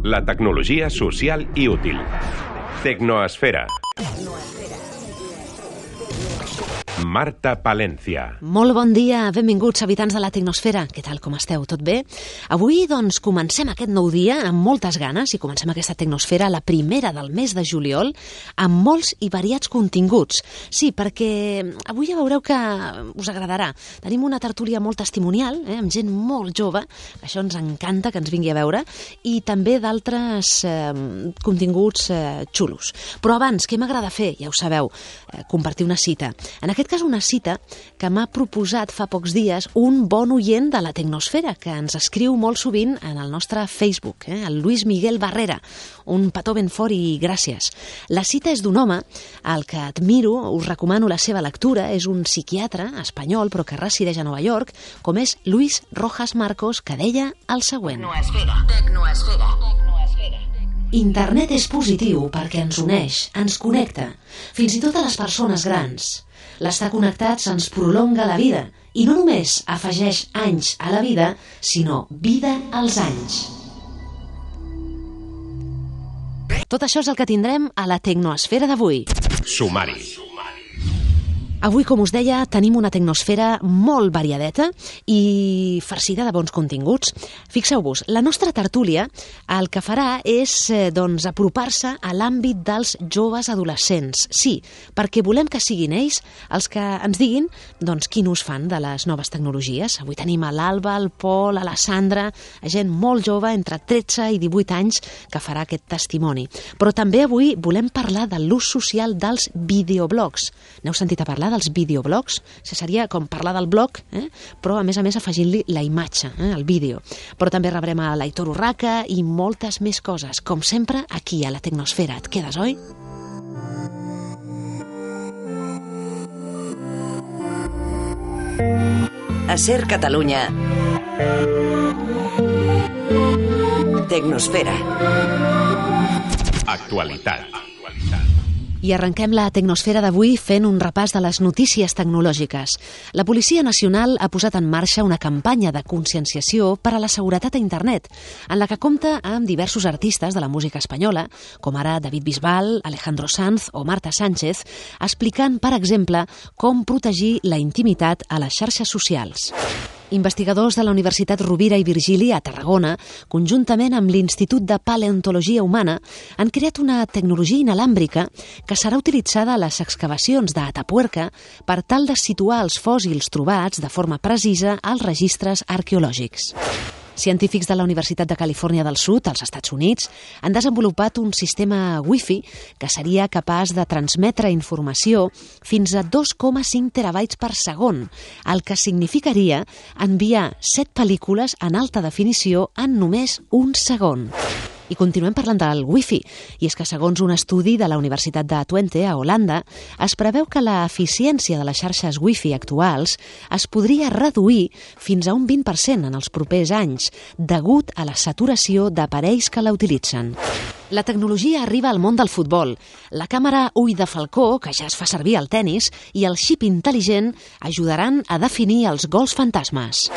La tecnologia social i útil. Tecnoesfera. Marta Palencia. Molt bon dia, benvinguts habitants de la Tecnosfera. Què tal, com esteu? Tot bé? Avui, doncs, comencem aquest nou dia amb moltes ganes i comencem aquesta Tecnosfera, la primera del mes de juliol, amb molts i variats continguts. Sí, perquè avui ja veureu que us agradarà. Tenim una tertúlia molt testimonial, amb gent molt jove, això ens encanta que ens vingui a veure, i també d'altres continguts xulos. Però abans, què m'agrada fer? Ja ho sabeu, compartir una cita. En aquest cas, una cita que m'ha proposat fa pocs dies un bon oient de la Tecnosfera, que ens escriu molt sovint en el nostre Facebook, el Luis Miguel Barrera. Un petó ben fort i gràcies. La cita és d'un home al que admiro, us recomano la seva lectura, és un psiquiatre espanyol però que resideix a Nova York, com és Luis Rojas Marcos, que deia el següent. Tecnoesfera. Internet és positiu perquè ens uneix, ens connecta, fins i tot a les persones grans. L'estar connectats ens prolonga la vida i no només afegeix anys a la vida, sinó vida als anys. Tot això és el que tindrem a la Tecnoesfera d'avui. Sumari. Avui, com us deia, tenim una tecnosfera molt variadeta i farcida de bons continguts. Fixeu-vos, la nostra tertúlia el que farà és apropar-se a l'àmbit dels joves adolescents. Sí, perquè volem que siguin ells els que ens diguin quin ús fan de les noves tecnologies. Avui tenim a l'Alba, el Pol, a la Sandra, gent molt jove, entre 13 i 18 anys, que farà aquest testimoni. Però també avui volem parlar de l'ús social dels videoblogs. N'heu sentit a parlar dels videoblogs? Seria com parlar del blog, però a més afegint-li la imatge, el vídeo. Però també rebrem a l'Aitor Urraca i moltes més coses. Com sempre, aquí a la Tecnosfera. Et quedes, oi? A Ser Catalunya. Tecnosfera. Actualitat. I arrenquem la Tecnosfera d'avui fent un repàs de les notícies tecnològiques. La Policia Nacional ha posat en marxa una campanya de conscienciació per a la seguretat a internet, en la que compta amb diversos artistes de la música espanyola, com ara David Bisbal, Alejandro Sanz o Marta Sánchez, explicant, per exemple, com protegir la intimitat a les xarxes socials. Investigadors de la Universitat Rovira i Virgili a Tarragona, conjuntament amb l'Institut de Paleontologia Humana, han creat una tecnologia inalàmbrica que serà utilitzada a les excavacions d'Atapuerca per tal de situar els fòssils trobats de forma precisa als registres arqueològics. Científics de la Universitat de Califòrnia del Sud, als Estats Units, han desenvolupat un sistema Wi-Fi que seria capaç de transmetre informació fins a 2,5 terabytes per segon, el que significaria enviar 7 pel·lícules en alta definició en només un segon. I continuem parlant del Wi-Fi, i és que segons un estudi de la Universitat de Twente, a Holanda, es preveu que l'eficiència de les xarxes Wi-Fi actuals es podria reduir fins a un 20% en els propers anys, degut a la saturació d'aparells que la utilitzen. La tecnologia arriba al món del futbol. La càmera ull de falcó, que ja es fa servir al tennis, i el xip intel·ligent ajudaran a definir els gols fantasmes.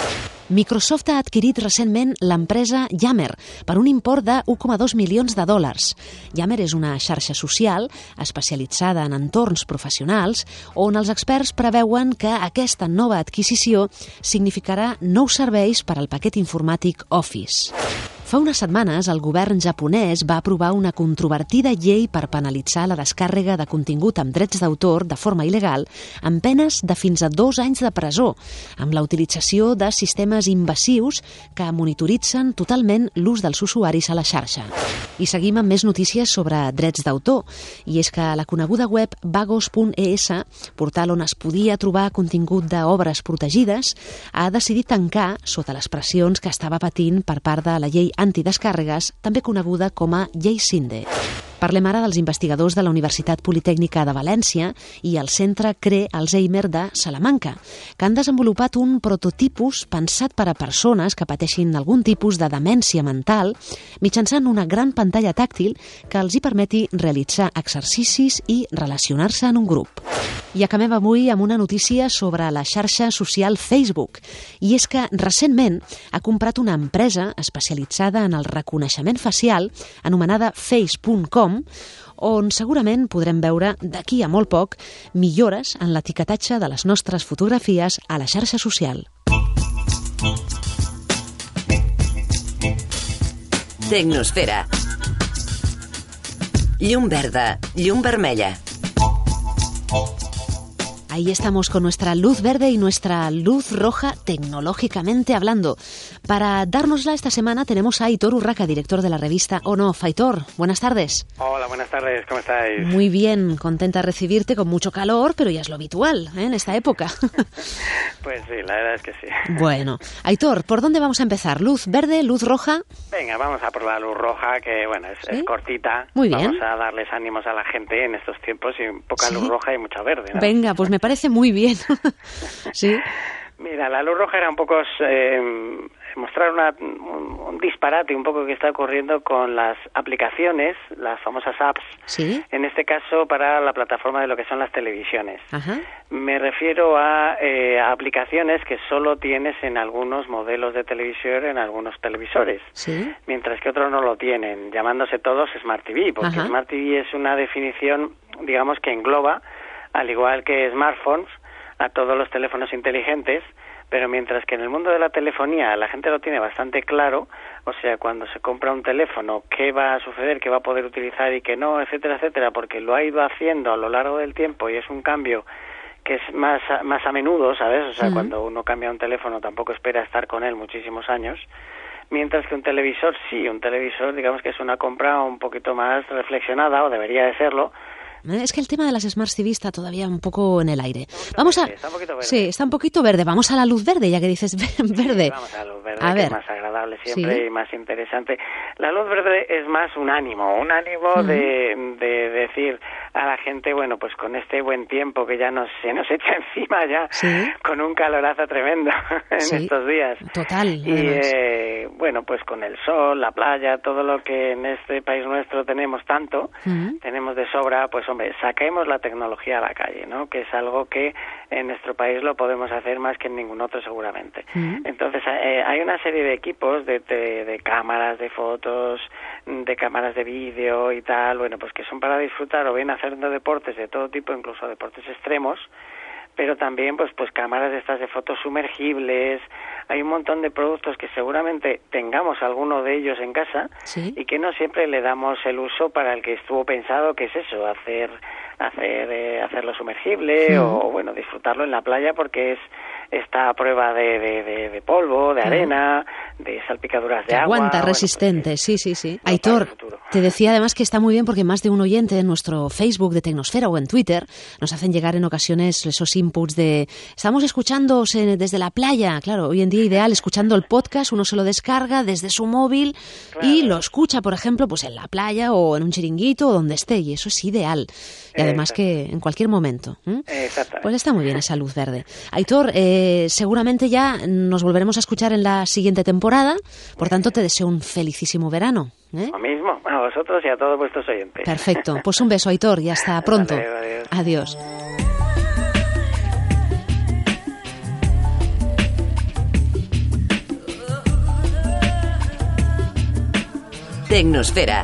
Microsoft ha adquirit recentment l'empresa Yammer per un import de 1,2 milions de dòlars. Yammer és una xarxa social especialitzada en entorns professionals on els experts preveuen que aquesta nova adquisició significarà nous serveis per al paquet informàtic Office. Fa unes setmanes, el govern japonès va aprovar una controvertida llei per penalitzar la descàrrega de contingut amb drets d'autor de forma il·legal amb penes de fins a 2 anys de presó, amb la utilització de sistemes invasius que monitoritzen totalment l'ús dels usuaris a la xarxa. I seguim amb més notícies sobre drets d'autor, i és que la coneguda web vagos.es, portal on es podia trobar contingut d'obres protegides, ha decidit tancar sota les pressions que estava patint per part de la llei antidescàrregues, també coneguda com a Llei Sinde. Parlem ara dels investigadors de la Universitat Politècnica de València i el Centre CRE Alzheimer de Salamanca, que han desenvolupat un prototipus pensat per a persones que pateixin algun tipus de demència mental mitjançant una gran pantalla tàctil que els hi permeti realitzar exercicis i relacionar-se en un grup. I acabem avui amb una notícia sobre la xarxa social Facebook. I és que recentment ha comprat una empresa especialitzada en el reconeixement facial anomenada Face.com, on segurament podrem veure d'aquí a molt poc millores en l'etiquetatge de les nostres fotografies a la xarxa social. Tecnosfera. Llum verda, llum vermella. Ahí estamos con nuestra luz verde y nuestra luz roja tecnológicamente hablando. Para dárnosla esta semana tenemos a Aitor Urraca, director de la revista On-Off. Aitor, buenas tardes. Hola, buenas tardes, ¿cómo estáis? Muy bien, contenta de recibirte con mucho calor, pero ya es lo habitual en esta época. Pues sí, la verdad es que sí. Bueno, Aitor, ¿por dónde vamos a empezar? ¿Luz verde, luz roja? Venga, vamos a por la luz roja, que bueno, es cortita. Muy bien. Vamos a darles ánimos a la gente en estos tiempos y poca luz roja y mucha verde, ¿no? Venga, pues me parece muy bien. Sí. Mira, la luz roja era un poco mostrar un disparate un poco que está ocurriendo con las aplicaciones, las famosas apps, ¿sí? En este caso para la plataforma de lo que son las televisiones. Ajá. Me refiero a aplicaciones que solo tienes en algunos modelos de televisión, en algunos televisores, ¿sí? Mientras que otros no lo tienen, llamándose todos Smart TV, porque Ajá. Smart TV es una definición, digamos, que engloba, al igual que smartphones, a todos los teléfonos inteligentes, pero mientras que en el mundo de la telefonía la gente lo tiene bastante claro, o sea, cuando se compra un teléfono, qué va a suceder, qué va a poder utilizar y qué no, etcétera, etcétera, porque lo ha ido haciendo a lo largo del tiempo y es un cambio que es más a menudo, ¿sabes? O sea, cuando uno cambia un teléfono tampoco espera estar con él muchísimos años, mientras que un televisor sí, un televisor digamos que es una compra un poquito más reflexionada, o debería de serlo. Es que el tema de las Smart TV está todavía un poco en el aire. Vamos a... Está un poquito verde. Sí, está un poquito verde. Vamos a la luz verde, ya que dices verde. Sí, vamos a la luz verde, a que ver. es más agradable siempre, Sí. y más interesante. La luz verde es más un ánimo de decir a la gente, bueno, pues con este buen tiempo que ya se nos echa encima ya, Sí. con un calorazo tremendo en Sí. estos días. Total, Y bueno, pues con el sol, la playa, todo lo que en este país nuestro tenemos tanto, tenemos de sobra, pues hombre, saquemos la tecnología a la calle, ¿no? Que es algo que en nuestro país lo podemos hacer más que en ningún otro seguramente. Entonces hay una serie de equipos de cámaras, de fotos, de cámaras de vídeo y tal, bueno, pues que son para disfrutar o bien haciendo deportes de todo tipo, incluso deportes extremos, pero también pues cámaras de estas de fotos sumergibles. Hay un montón de productos que seguramente tengamos alguno de ellos en casa, Sí. y que no siempre le damos el uso para el que estuvo pensado, que es eso, hacerlo sumergible o bueno, disfrutarlo en la playa, porque está a prueba de polvo, de arena, de salpicaduras de Que agua. aguanta, bueno, resistente, pues, sí. para Aitor, el futuro. te decía además que está muy bien porque más de un oyente en nuestro Facebook de Tecnosfera o en Twitter nos hacen llegar en ocasiones esos inputs de estamos escuchando desde la playa. Claro, hoy en día ideal escuchando el podcast, uno se lo descarga desde su móvil y lo escucha, por ejemplo, pues en la playa o en un chiringuito o donde esté, y eso es ideal. Y además que en cualquier momento. Exactamente. Pues está muy bien esa luz verde. Aitor, seguramente ya nos volveremos a escuchar en la siguiente temporada, por tanto te deseo un felicísimo verano. Lo mismo a vosotros y a todos vuestros oyentes. Perfecto, pues un beso, Aitor, y hasta pronto. Adiós. Adiós. Tecnosfera.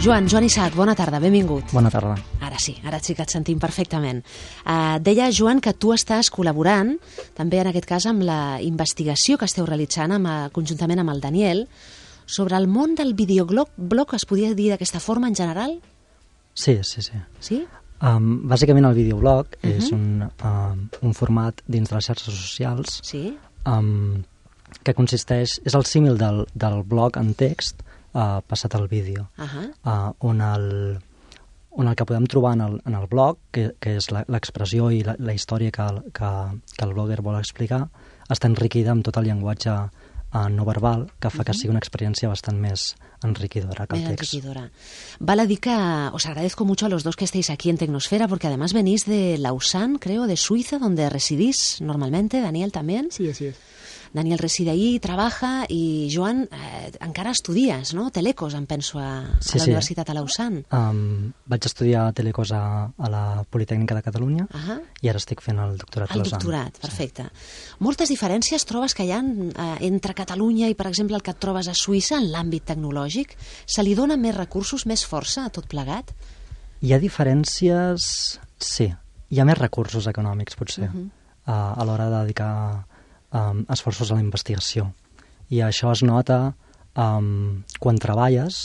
Joan Isaac, bona tarda, benvingut. Bona tarda. Ara sí que et sentim perfectament. Deia, Joan, que tu estàs col·laborant, també en aquest cas amb la investigació que esteu realitzant conjuntament amb el Daniel, sobre el món del videoblog, es podia dir d'aquesta forma en general? Sí. Sí? Bàsicament el videoblog és un format dins de les xarxes socials Sí? que consisteix, és el símil del blog en text passat al vídeo, on on el que podem trobar en el blog, que és l'expressió i la història que el blogger vol explicar, està enriquida amb tot el llenguatge no verbal, que fa que sigui una experiencia bastante más enriquidora que el text. Enriquidora. Vale a dir que os agradezco mucho a los dos que estéis aquí en Tecnosfera, porque además venís de Lausanne, creo, de Suiza, donde residís normalmente. Daniel también. Sí, así es. Daniel reside ahí, trabaja, i Joan, encara estudies, no? Telecos, em penso, a la Universitat a Lausanne. Vaig estudiar Telecos a la Politècnica de Catalunya i ara estic fent el doctorat a Lausanne. El doctorat, perfecte. Moltes diferències trobes que hi ha entre Catalunya i, per exemple, el que et trobes a Suïssa en l'àmbit tecnològic? Se li dona més recursos, més força a tot plegat? Hi ha diferències, sí. Hi ha més recursos econòmics, potser, a l'hora de dedicar esforços a la investigació. I això es nota quan treballes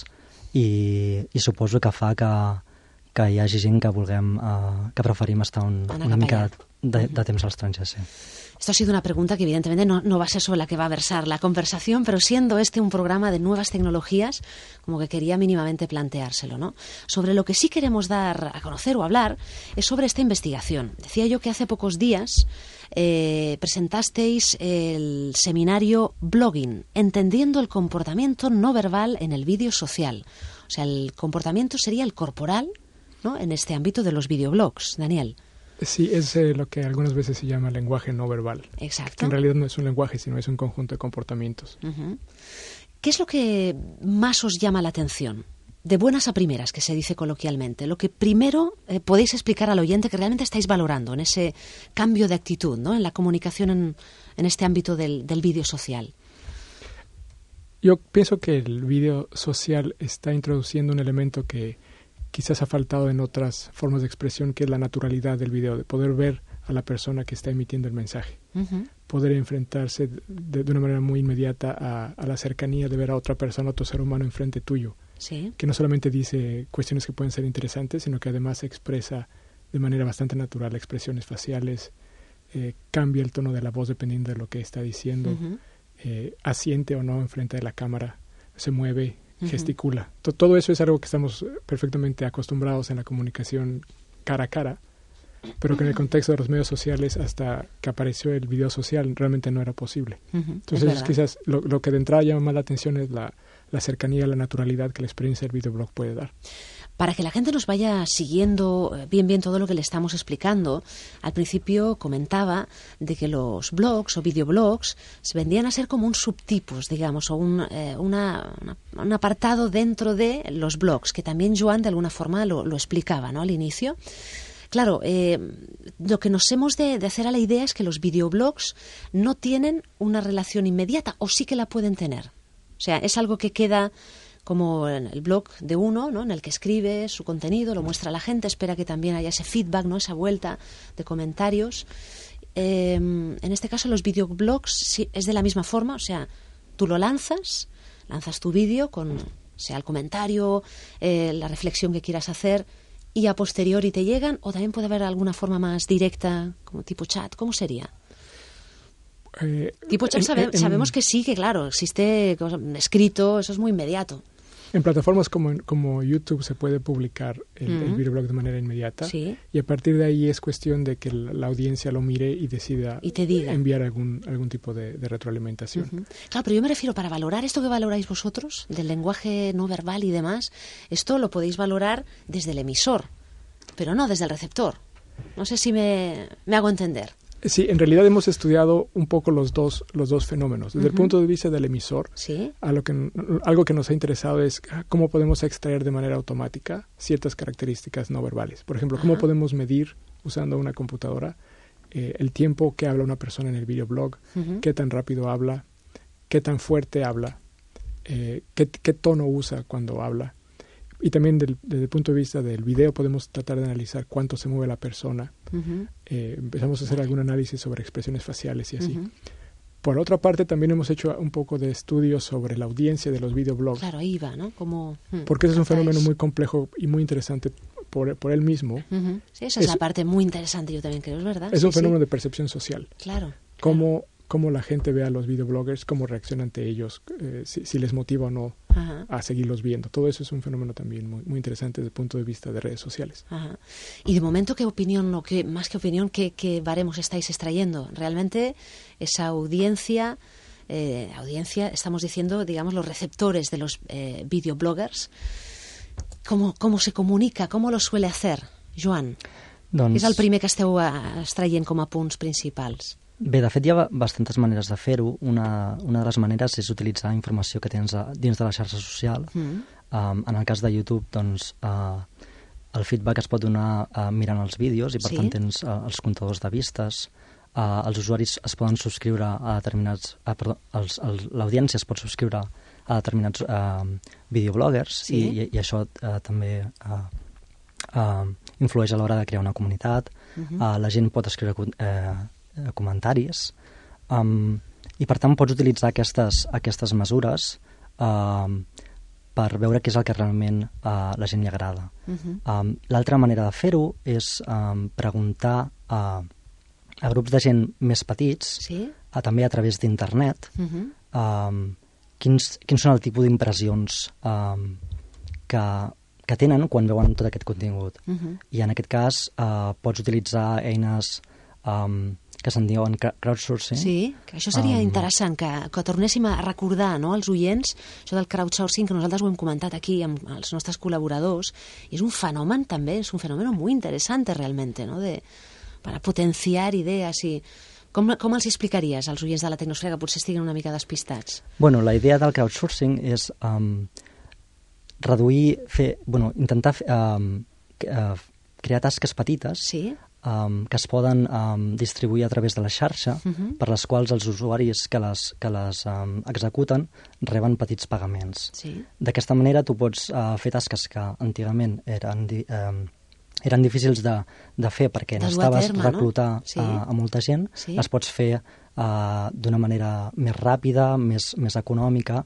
i suposo que fa que hi hagi gent que preferim estar una mica de temps a l'estranger, sí. Esto ha sido una pregunta que evidentemente no va a ser sobre la que va a versar la conversación, pero siendo este un programa de nuevas tecnologías, como que quería mínimamente planteárselo, ¿no? Sobre lo que sí queremos dar a conocer o hablar es sobre esta investigación. Decía yo que hace pocos días presentasteis el seminario Blogging, entendiendo el comportamiento no verbal en el vídeo social. O sea, el comportamiento sería el corporal, ¿no?, en este ámbito de los videoblogs. Daniel. Sí, es lo que algunas veces se llama lenguaje no verbal. Exacto. Que en realidad no es un lenguaje, sino es un conjunto de comportamientos. ¿Qué es lo que más os llama la atención? De buenas a primeras, que se dice coloquialmente. Lo que primero podéis explicar al oyente que realmente estáis valorando en ese cambio de actitud, ¿no?, en la comunicación en este ámbito del vídeo social. Yo pienso que el vídeo social está introduciendo un elemento que quizás ha faltado en otras formas de expresión, que es la naturalidad del video, de poder ver a la persona que está emitiendo el mensaje, poder enfrentarse de una manera muy inmediata a la cercanía de ver a otra persona, a otro ser humano enfrente tuyo, que no solamente dice cuestiones que pueden ser interesantes, sino que además expresa de manera bastante natural expresiones faciales, cambia el tono de la voz dependiendo de lo que está diciendo, asiente o no enfrente de la cámara, se mueve, gesticula. Todo eso es algo que estamos perfectamente acostumbrados en la comunicación cara a cara, pero que en el contexto de los medios sociales, hasta que apareció el video social, realmente no era posible. Entonces quizás lo que de entrada llama más la atención es la cercanía, la naturalidad que la experiencia del videoblog puede dar. Para que la gente nos vaya siguiendo bien todo lo que le estamos explicando, al principio comentaba de que los blogs o videoblogs se vendían a ser como un subtipos, digamos, o un apartado dentro de los blogs, que también Joan de alguna forma lo explicaba, ¿no?, al inicio. Claro, lo que nos hemos de hacer a la idea es que los videoblogs no tienen una relación inmediata, o sí que la pueden tener. O sea, es algo que queda como en el blog de uno, ¿no?, en el que escribe su contenido, lo muestra a la gente, espera que también haya ese feedback, ¿no?, esa vuelta de comentarios. En este caso los videoblogs sí, es de la misma forma, o sea, tú lo lanzas tu vídeo con, sea el comentario, la reflexión que quieras hacer, y a posteriori te llegan, o también puede haber alguna forma más directa, como tipo chat. ¿Cómo sería? Tipo chat sabemos que sí, que claro, existe escrito, eso es muy inmediato. En plataformas como YouTube se puede publicar el videoblog de manera inmediata, y a partir de ahí es cuestión de que la audiencia lo mire y decida enviar algún tipo de retroalimentación. Claro, pero yo me refiero, para valorar esto que valoráis vosotros, del lenguaje no verbal y demás, esto lo podéis valorar desde el emisor, pero no desde el receptor. No sé si me hago entender. Sí, en realidad hemos estudiado un poco los dos fenómenos. Desde el punto de vista del emisor, algo que nos ha interesado es cómo podemos extraer de manera automática ciertas características no verbales. Por ejemplo, cómo podemos medir, usando una computadora, el tiempo que habla una persona en el videoblog, qué tan rápido habla, qué tan fuerte habla, qué tono usa cuando habla. Y también desde el punto de vista del video podemos tratar de analizar cuánto se mueve la persona. Empezamos a hacer algún análisis sobre expresiones faciales y así. Por otra parte, también hemos hecho un poco de estudios sobre la audiencia de los videoblogs. Claro, ahí va, ¿no? Porque ese es un fenómeno muy complejo y muy interesante por él mismo. Sí, esa es la parte muy interesante, yo también creo, es verdad. Es un fenómeno de percepción social. Claro. Cómo cómo la gente ve a los videobloggers, cómo reacciona ante ellos, si les motiva o no a seguirlos viendo. Todo eso es un fenómeno también muy, muy interesante desde el punto de vista de redes sociales. Ajá. Y de momento, ¿qué opinión, o qué, más que opinión, qué baremos estáis extrayendo? Realmente esa audiencia, estamos diciendo, digamos, los receptores de los videobloggers, ¿cómo se comunica? ¿Cómo lo suele hacer, Joan? Doncs... És el primer que esteu extraient com a punts principals. Bé, de fet hi ha bastantes maneres de fer-ho. Una de les maneres és utilitzar informació que tens dins de la xarxa social. En el cas de YouTube, doncs, el feedback es pot donar mirant els vídeos i per tant tens els comptadors de vistes. Els usuaris es poden subscriure a determinats... l'audiència es pot subscriure a determinats videobloggers i això també influeix a l'hora de crear una comunitat. La gent pot escriure comentaris i per tant pots utilitzar aquestes mesures per veure què és el que realment a la gent li agrada. L'altra manera de fer-ho és preguntar a grups de gent més petits, també a través d'internet, quins són el tipus d'impressions que tenen quan veuen tot aquest contingut. I en aquest cas pots utilitzar eines que se'n diuen crowdsourcing. Sí, que això seria interessant, que tornéssim a recordar, no, als oients, això del crowdsourcing, que nosaltres ho hem comentat aquí amb els nostres col·laboradors, i és un fenomen també, és un fenómeno muy interesante realmente, ¿no? Para potenciar idees i... Com els explicaries als oients de la Tecnosfera que potser estiguen una mica despistats? Bueno, la idea del crowdsourcing és reduir, intentar crear tasques petites que es poden distribuir a través de la xarxa, per les quals els usuaris que les executen reben petits pagaments. D'aquesta manera tu pots fer tasques que antigament eren difícils de fer perquè necessitaves reclutar a molta gent, les pots fer d'una manera més ràpida, més econòmica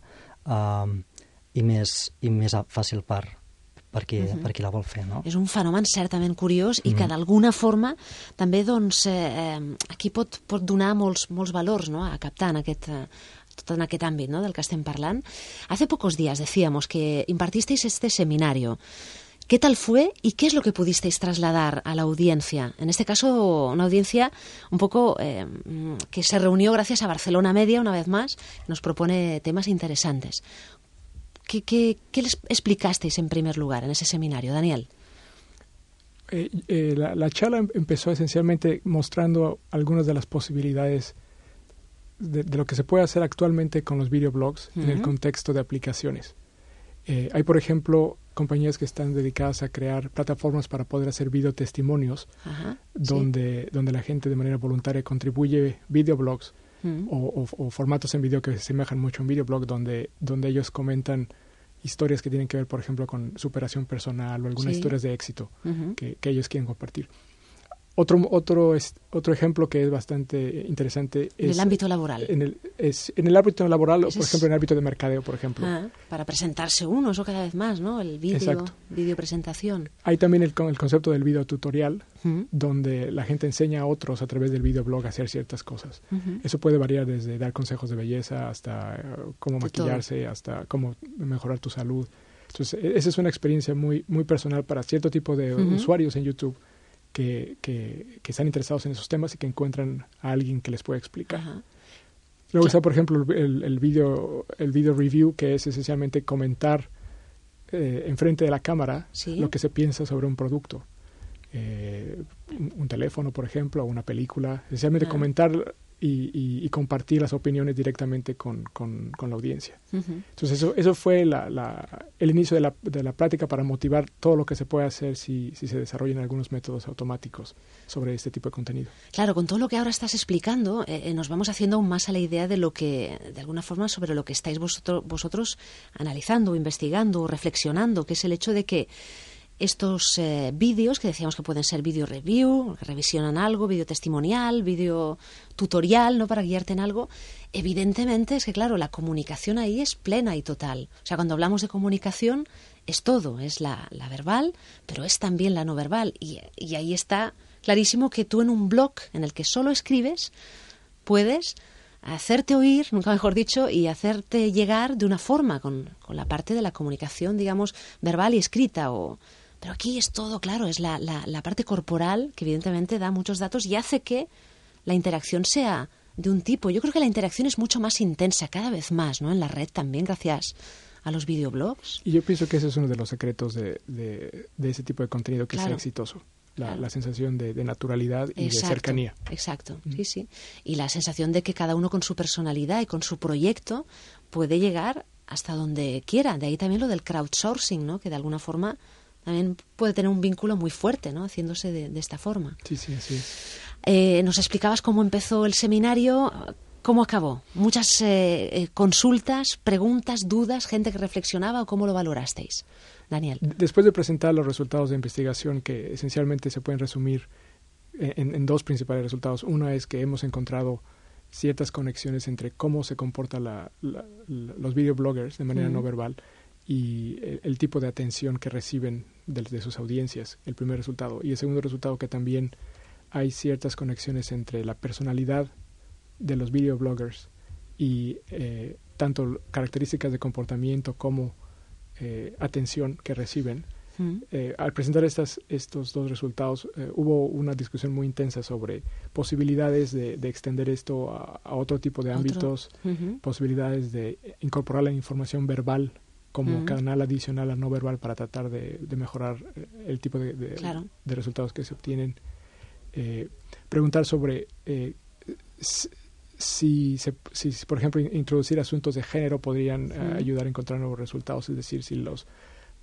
i més fàcil per qui la vol fer, no? És un fenomen certament curiós i que d'alguna forma també aquí pot donar molts valors, no?, a captar tot en aquest àmbit, ¿no?, del que estem parlant. Hace pocos días decíamos que impartisteis este seminario. ¿Qué tal fue y qué es lo que pudisteis trasladar a la audiencia? En este caso, una audiencia un poco que se reunió gracias a Barcelona Media, una vez más, que nos propone temas interesantes. ¿Qué les explicasteis en primer lugar en ese seminario, Daniel? La charla empezó esencialmente mostrando algunas de las posibilidades de lo que se puede hacer actualmente con los videoblogs en el contexto de aplicaciones. Hay, por ejemplo, compañías que están dedicadas a crear plataformas para poder hacer videotestimonios, donde la gente de manera voluntaria contribuye videoblogs o formatos en video que se asemejan mucho a un videoblog, donde ellos comentan historias que tienen que ver, por ejemplo, con superación personal o algunas historias de éxito que ellos quieren compartir. Otro ejemplo que es bastante interesante es... En el ámbito laboral. En el ámbito laboral, o por ejemplo, en el ámbito de mercadeo, por ejemplo. Para presentarse uno, eso cada vez más, ¿no? El vídeo presentación. Hay también el concepto del video tutorial, donde la gente enseña a otros a través del videoblog a hacer ciertas cosas. Eso puede variar desde dar consejos de belleza hasta cómo maquillarse, hasta cómo mejorar tu salud. Entonces, esa es una experiencia muy, muy personal para cierto tipo de usuarios en YouTube que están interesados en esos temas y que encuentran a alguien que les pueda explicar. Luego está, por ejemplo, el video review, que es esencialmente comentar enfrente de la cámara lo que se piensa sobre un producto. Un teléfono, por ejemplo, o una película. Esencialmente comentar y compartir las opiniones directamente con la audiencia. Entonces eso fue el inicio de la práctica para motivar todo lo que se puede hacer si se desarrollan algunos métodos automáticos sobre este tipo de contenido. Claro, con todo lo que ahora estás explicando, nos vamos haciendo aún más a la idea de lo que, de alguna forma, sobre lo que estáis vosotros analizando, investigando, reflexionando, que es el hecho de que estos vídeos, que decíamos que pueden ser vídeo review, que revisionan algo, vídeo testimonial, vídeo tutorial, ¿no?, para guiarte en algo, evidentemente es que, claro, la comunicación ahí es plena y total. O sea, cuando hablamos de comunicación es todo, es la verbal, pero es también la no verbal. Y ahí está clarísimo que tú en un blog en el que solo escribes puedes hacerte oír, nunca mejor dicho, y hacerte llegar de una forma con la parte de la comunicación, digamos, verbal y escrita. Pero aquí es todo, claro, es la parte corporal que evidentemente da muchos datos y hace que la interacción sea de un tipo. Yo creo que la interacción es mucho más intensa cada vez más, ¿no? En la red también, gracias a los videoblogs. Y yo pienso que ese es uno de los secretos de ese tipo de contenido que sea exitoso. La sensación de naturalidad y de cercanía. Exacto, sí. Y la sensación de que cada uno con su personalidad y con su proyecto puede llegar hasta donde quiera. De ahí también lo del crowdsourcing, ¿no? Que de alguna forma también puede tener un vínculo muy fuerte, ¿no? Haciéndose de esta forma. Sí, así es. Nos explicabas cómo empezó el seminario, cómo acabó. Muchas consultas, preguntas, dudas, gente que reflexionaba, ¿o cómo lo valorasteis? Daniel. Después de presentar los resultados de investigación, que esencialmente se pueden resumir en dos principales resultados. Uno es que hemos encontrado ciertas conexiones entre cómo se comportan los videobloggers de manera no verbal y el tipo de atención que reciben de sus audiencias, el primer resultado. Y el segundo resultado, que también hay ciertas conexiones entre la personalidad de los videobloggers y tanto características de comportamiento como atención que reciben. Al presentar estos dos resultados, hubo una discusión muy intensa sobre posibilidades de extender esto a otro tipo de ámbitos, posibilidades de incorporar la información verbal como canal adicional a no verbal para tratar de mejorar el tipo de resultados que se obtienen. Preguntar sobre si, por ejemplo, introducir asuntos de género podrían ayudar a encontrar nuevos resultados, es decir, si los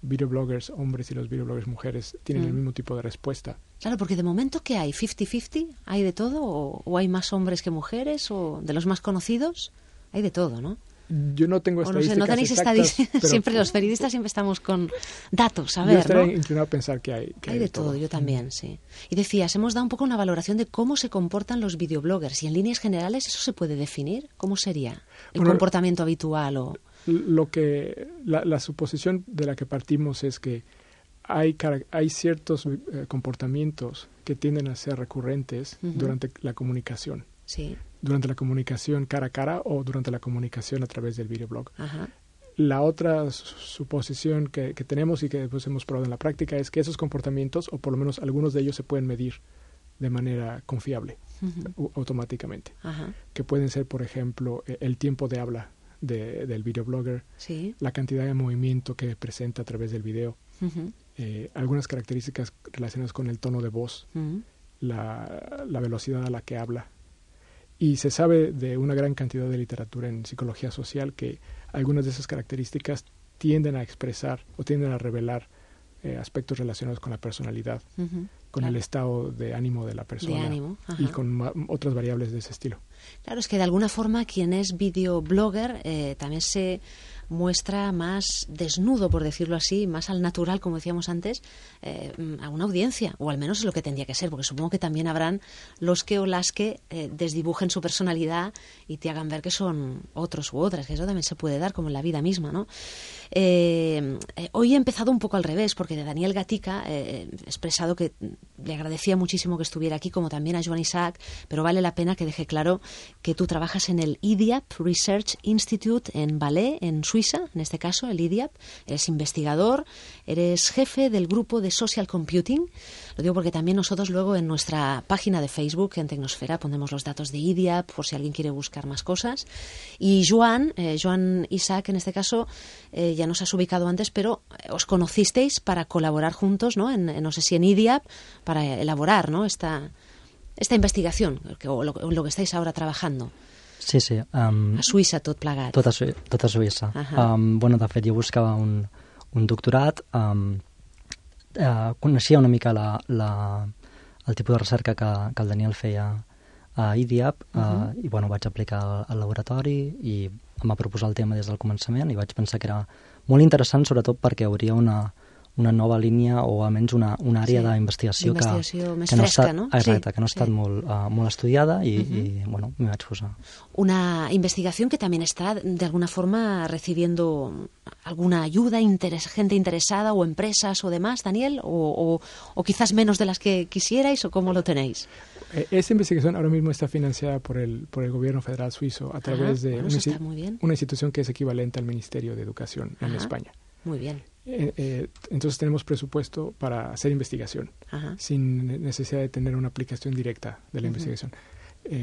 videobloggers hombres y los videobloggers mujeres tienen el mismo tipo de respuesta. Claro, porque de momento, ¿qué hay? ¿50-50? ¿Hay de todo? ¿O hay más hombres que mujeres? ¿O de los más conocidos? Hay de todo, ¿no? Yo no tengo estadísticas. No tenéis estadísticas. Siempre los periodistas siempre estamos con datos, a ver, yo estaría inclinado a pensar que hay de todo. Yo también, sí. Y decías, hemos dado un poco una valoración de cómo se comportan los videobloggers. Y en líneas generales, ¿eso se puede definir? ¿Cómo sería el comportamiento habitual? La suposición de la que partimos es que hay ciertos comportamientos que tienden a ser recurrentes durante la comunicación. Sí. Durante la comunicación cara a cara o durante la comunicación a través del videoblog. La otra suposición que tenemos y que después hemos probado en la práctica es que esos comportamientos, o por lo menos algunos de ellos, se pueden medir de manera confiable, automáticamente. Que pueden ser, por ejemplo, el tiempo de habla del videoblogger, la cantidad de movimiento que presenta a través del video, algunas características relacionadas con el tono de voz, la velocidad a la que habla. Y se sabe de una gran cantidad de literatura en psicología social que algunas de esas características tienden a expresar o tienden a revelar aspectos relacionados con la personalidad, con el estado de ánimo de la persona y con otras variables de ese estilo. Claro, es que de alguna forma quien es videoblogger también se muestra más desnudo, por decirlo así, más al natural, como decíamos antes, a una audiencia, o al menos es lo que tendría que ser, porque supongo que también habrán los que o las que desdibujen su personalidad y te hagan ver que son otros u otras, que eso también se puede dar, como en la vida misma, ¿no? Hoy he empezado un poco al revés, porque de Daniel Gatica he expresado que le agradecía muchísimo que estuviera aquí, como también a Joan Isaac, pero vale la pena que deje claro que tú trabajas en el IDIAP Research Institute en Valais, en Suiza, en este caso, el IDIAP. Eres investigador, eres jefe del grupo de Social Computing. Lo digo porque también nosotros luego en nuestra página de Facebook, en Tecnosfera, ponemos los datos de IDIAP por si alguien quiere buscar más cosas. Y Joan Isaac, en este caso, ya nos has ubicado antes, pero os conocisteis para colaborar juntos, ¿no? No sé si en IDIAP, para elaborar, ¿no? esta investigación, o lo que estáis ahora trabajando. Sí. A Suïssa, tot plegat. Tot a Suïssa. Bueno, de fet, jo buscava un doctorat, coneixia una mica el tipus de recerca que el Daniel feia a IDIAP, i bueno, vaig aplicar al laboratori i em va proposar el tema des del començament i vaig pensar que era molt interessant, sobretot perquè hauria una una nova línia o almenys una àrea d'investigació més fresca, no? Exacte, que no ha estat molt estudiada y bueno, me vaig posar. Una investigación que también está de alguna forma recibiendo alguna ayuda, gente interesada o empresas o demás, Daniel, o quizás menos de las que quisierais, o cómo lo tenéis. Esta investigación ahora mismo está financiada por el gobierno federal suizo a través de una institución que es equivalente al Ministerio de Educación en España. Muy bien. Entonces tenemos presupuesto para hacer investigación sin necesidad de tener una aplicación directa de la investigación.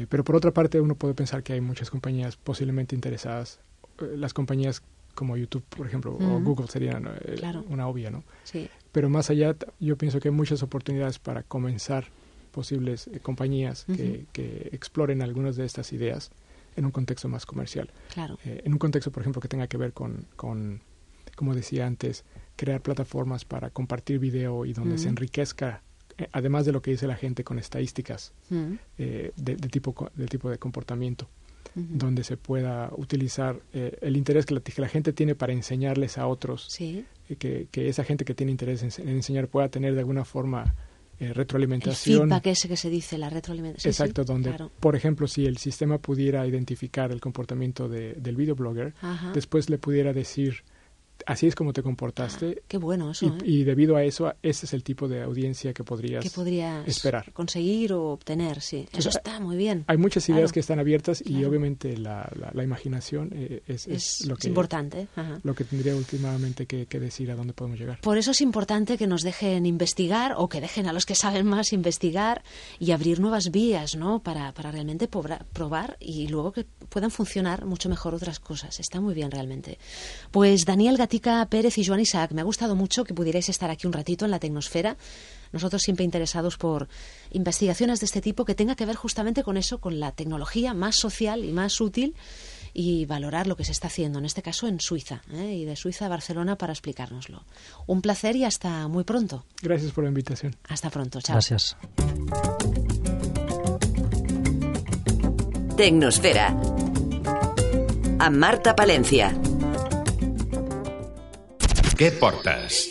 Pero por otra parte uno puede pensar que hay muchas compañías posiblemente interesadas. Las compañías como YouTube, por ejemplo, o Google serían una obvia, ¿no? Sí. Pero más allá, yo pienso que hay muchas oportunidades para comenzar posibles compañías que exploren algunas de estas ideas en un contexto más comercial. Claro. En un contexto, por ejemplo, que tenga que ver con como decía antes, crear plataformas para compartir video y donde se enriquezca, además de lo que dice la gente, con estadísticas de tipo de comportamiento, donde se pueda utilizar el interés que la gente tiene para enseñarles a otros, que esa gente que tiene interés en enseñar pueda tener de alguna forma retroalimentación. El feedback ese que se dice, la retroalimentación. Exacto, donde, por ejemplo, si el sistema pudiera identificar el comportamiento del videoblogger, después le pudiera decir, así es como te comportaste. Qué bueno eso. Y debido a eso, ese es el tipo de audiencia que podrías esperar. Conseguir o obtener, sí. Eso está muy bien. Hay muchas ideas que están abiertas y obviamente la imaginación es lo que importante. Lo que tendría últimamente que decir a dónde podemos llegar. Por eso es importante que nos dejen investigar o que dejen a los que saben más investigar y abrir nuevas vías, ¿no? Para realmente probar y luego que puedan funcionar mucho mejor otras cosas. Está muy bien realmente. Pues Daniel Gatica Pérez y Joan Isaac, me ha gustado mucho que pudierais estar aquí un ratito en la Tecnosfera. Nosotros siempre interesados por investigaciones de este tipo que tenga que ver justamente con eso, con la tecnología más social y más útil y valorar lo que se está haciendo, en este caso en Suiza, y de Suiza a Barcelona para explicárnoslo. Un placer y hasta muy pronto. Gracias por la invitación. Hasta pronto, chao. Gracias. Tecnosfera amb Marta Palencia. Què portes?